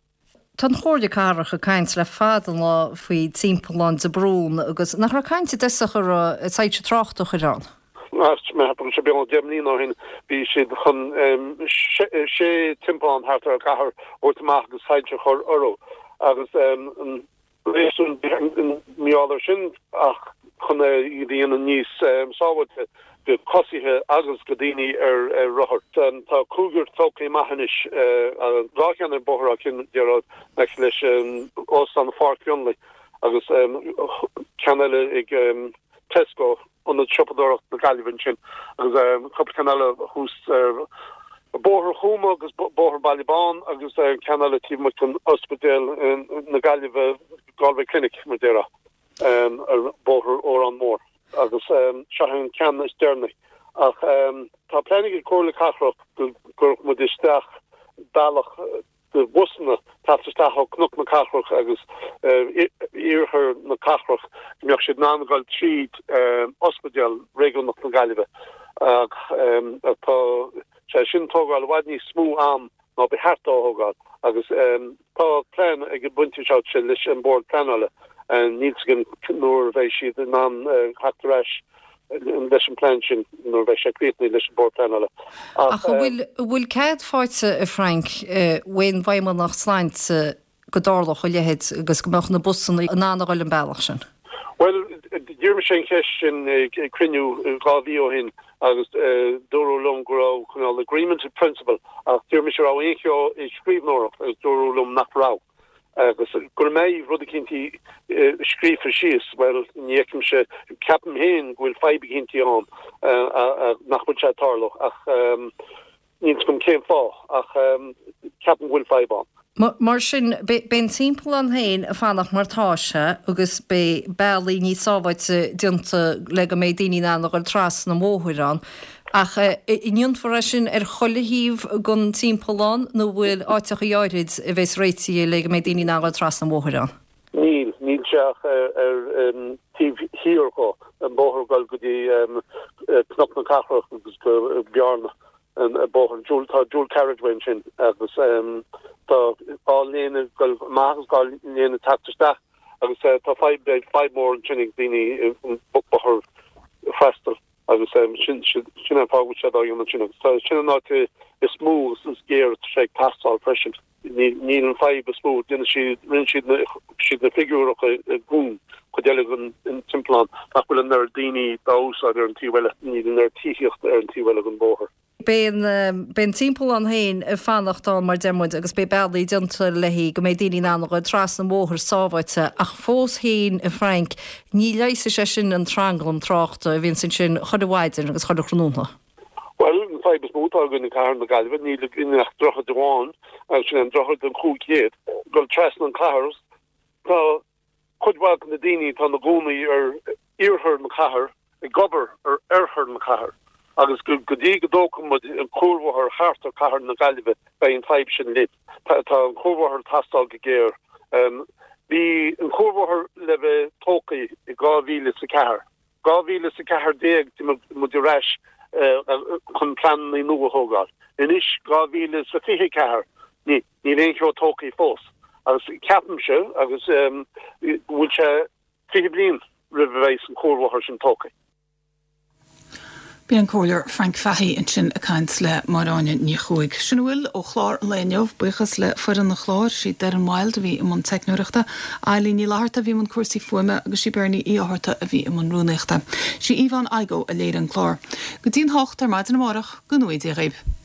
Tá an Chomhairle Cathrach ag caint le fada an lá faoi Timpeallán de Brún agus nach raibh caint i dtosach ar soilse tráchta a chur ann? Mé sé beagnach 10 mbliana ó shin bhí siad chun sé timpeallán thart ar an gcathair a thabhairt amach agus soilse a chur orthu agus an réasún mar gheall air sin ach chun iad a dhéanamh níos sábháilte do choisithe agus do daoine ar rothair. Tá cúigear tógtha amach anois, dhá cheann ar Bhóthar Áth Cinn, déarfá, in aice leis Óstán Pháirc Mhionlaigh agus ceann eile ag Tesco, Ionad Siopadóireachta na Gaillimhe ansin, agus cúpla ceann eile thuas ar Bhóthar Chúma agus Bóthar Baile Bán agus ceann eile taobh amuigh den Ospidéal na Gaillimhe, Galway Clinic, mar a déarfá. ar Bhóthar Órán Mór agus seo é an ceann is deireanaí. Ach tá plean ag an Comhairle Cathrach go gcuirfeadh muid isteach bealach do bhusanna teacht isteach ó Cnoc na Cathrach agus iarthar na cathrach go mbeadh siad in ann dul tríd Ospidéal Réigiúnach na Gaillimhe ach tá sé sin ag tógáil i bhfad níos mó am ná ba cheart dó a thógáil agus tá plean ag an bpointe seo sin leis an Bord Pleanála. Níl 's againn nuair a bheidh siad in ann theacht ar ais leis an plean sin, nuair a bheidh sé críochnaithe leis an Bord Pleanála. Ach an bhfuil, an bhfuil cead faighte, a Frank, ón bhFeidhmeannacht Sláinte go dtarlódh a leithéid agus go mbeadh na busanna in ann a dhul an bealach sin? Bhuel, d'iarr mise an cheist sin ag cruinniú dhá mhí ó shin agus dúradh liom go raibh cineál agreement in principle ach d'iarr mise an raibh aon cheo i scríbhneoireacht agus dúradh liom nach raibh. Agus go mbeidh rud eicínt scríofa síos, bhuel, ní fheicimse, ceapaim féin go bhfuil fadhb eicínt ann nach bhfuil sé ag tarlú ach, Níl 's agam cén fáth, ach ceapaim go bhfuil fadhb ann. Mar sin, beidh an timpeallán féin ag fanacht mar tá sé agus beidh bealaí níos sábháilte déanta le go mbeidh daoine in ann a dhul trasna an bhóthair ann. Ach an ndéanfar é sin ar chuile thaobh den timpeallán nó an bhfuil áiteachaí áirid a bheas réitithe le go mbeidh daoine in ann a dhul trasna an bhóthair ann? Níl, níl sé ach ar an taobh thiar dho, an bóthar ag dul go dtí Cnoc na Cathrach agus go Bearna, an bóthar, dual, tá dual carriageway ansin agus tá dhá léine ag dul amach agus dhá léine ag teacht isteach agus tá fadhb, beidh fadhb mhór ansin ag daoine an bóthar a fhreastal agus sin, sin an fáth go bhfuil sé á dhéanamh ansin agus tá, sin an áit is mó agus is géire atá sé ag teastáil freisin. Níl an fadhb is mó, déanann siad, rinne siad na, siad na figiúracha i gcúng, cuid eile den timpeallán, nach bhfuil an oiread daoine dá úsáid ar an taobh eile, níl an oiread tithíochta ar an taobh eile den bhóthar. Beidh an, beidh an timpeallán féin ag fanacht ann mar deir muid agus beidh bealaí déanta léi go mbeidh daoine in ann a ghoil trasna an bhóthair sábháilte ach fós féin a Frank, ní leigheasfaidh sé sin an tranglam tráchta a bhíonns ansin chuile mhaidin agus chuile thráthnóna. Bhuel, an fadhb is mó atá againn i gcathair na Gaillimhe, níl againn ach droichead amháin agus sin é an droichead an 500, ag dul trasna an chathair. Tá cuid mhaith de na daoine atá ina gcónaí ar iarthar na cathair ag obair ar oirthear na cathair agus go dtí go dtógfaidh muid an cuarbhóthar thart ar cathair na Gaillimhe beidh an fadhb sin linn. Tá an cuarbhóthar ag teastáil go géar. Bhí an cuarbhóthar le bheith tógtha i 2004. 2014 d'imigh muid ar ais chun pleananna nua a thógáil. Anois 2024 níl aon cheo tógtha fós agus ceapaimse agus go bhfuil sé 20 bliain roimh a bheidh an cuarbhóthar sin tógtha. B'é an Comhairleoir Frank Fahey ansin ag caint le Máire Áine Ní Chuaig. Sin a bhfuil ó chlár an lae inniu. Buíochas le foireann an chláir, sí Doireann Wilde a bhí i mbun teicneoireachta, Eileen Ní Fhlatharta a bhí i mbun cúrsaí fuaime agus sí Bernie Uí Fhátharta a bhí i mbun rúnaíochta. Sí Yvonne Igoe a léirigh an clár. Go dtí'n hocht ar maidin amárach, go ngnóthaí Dia dhaoibh.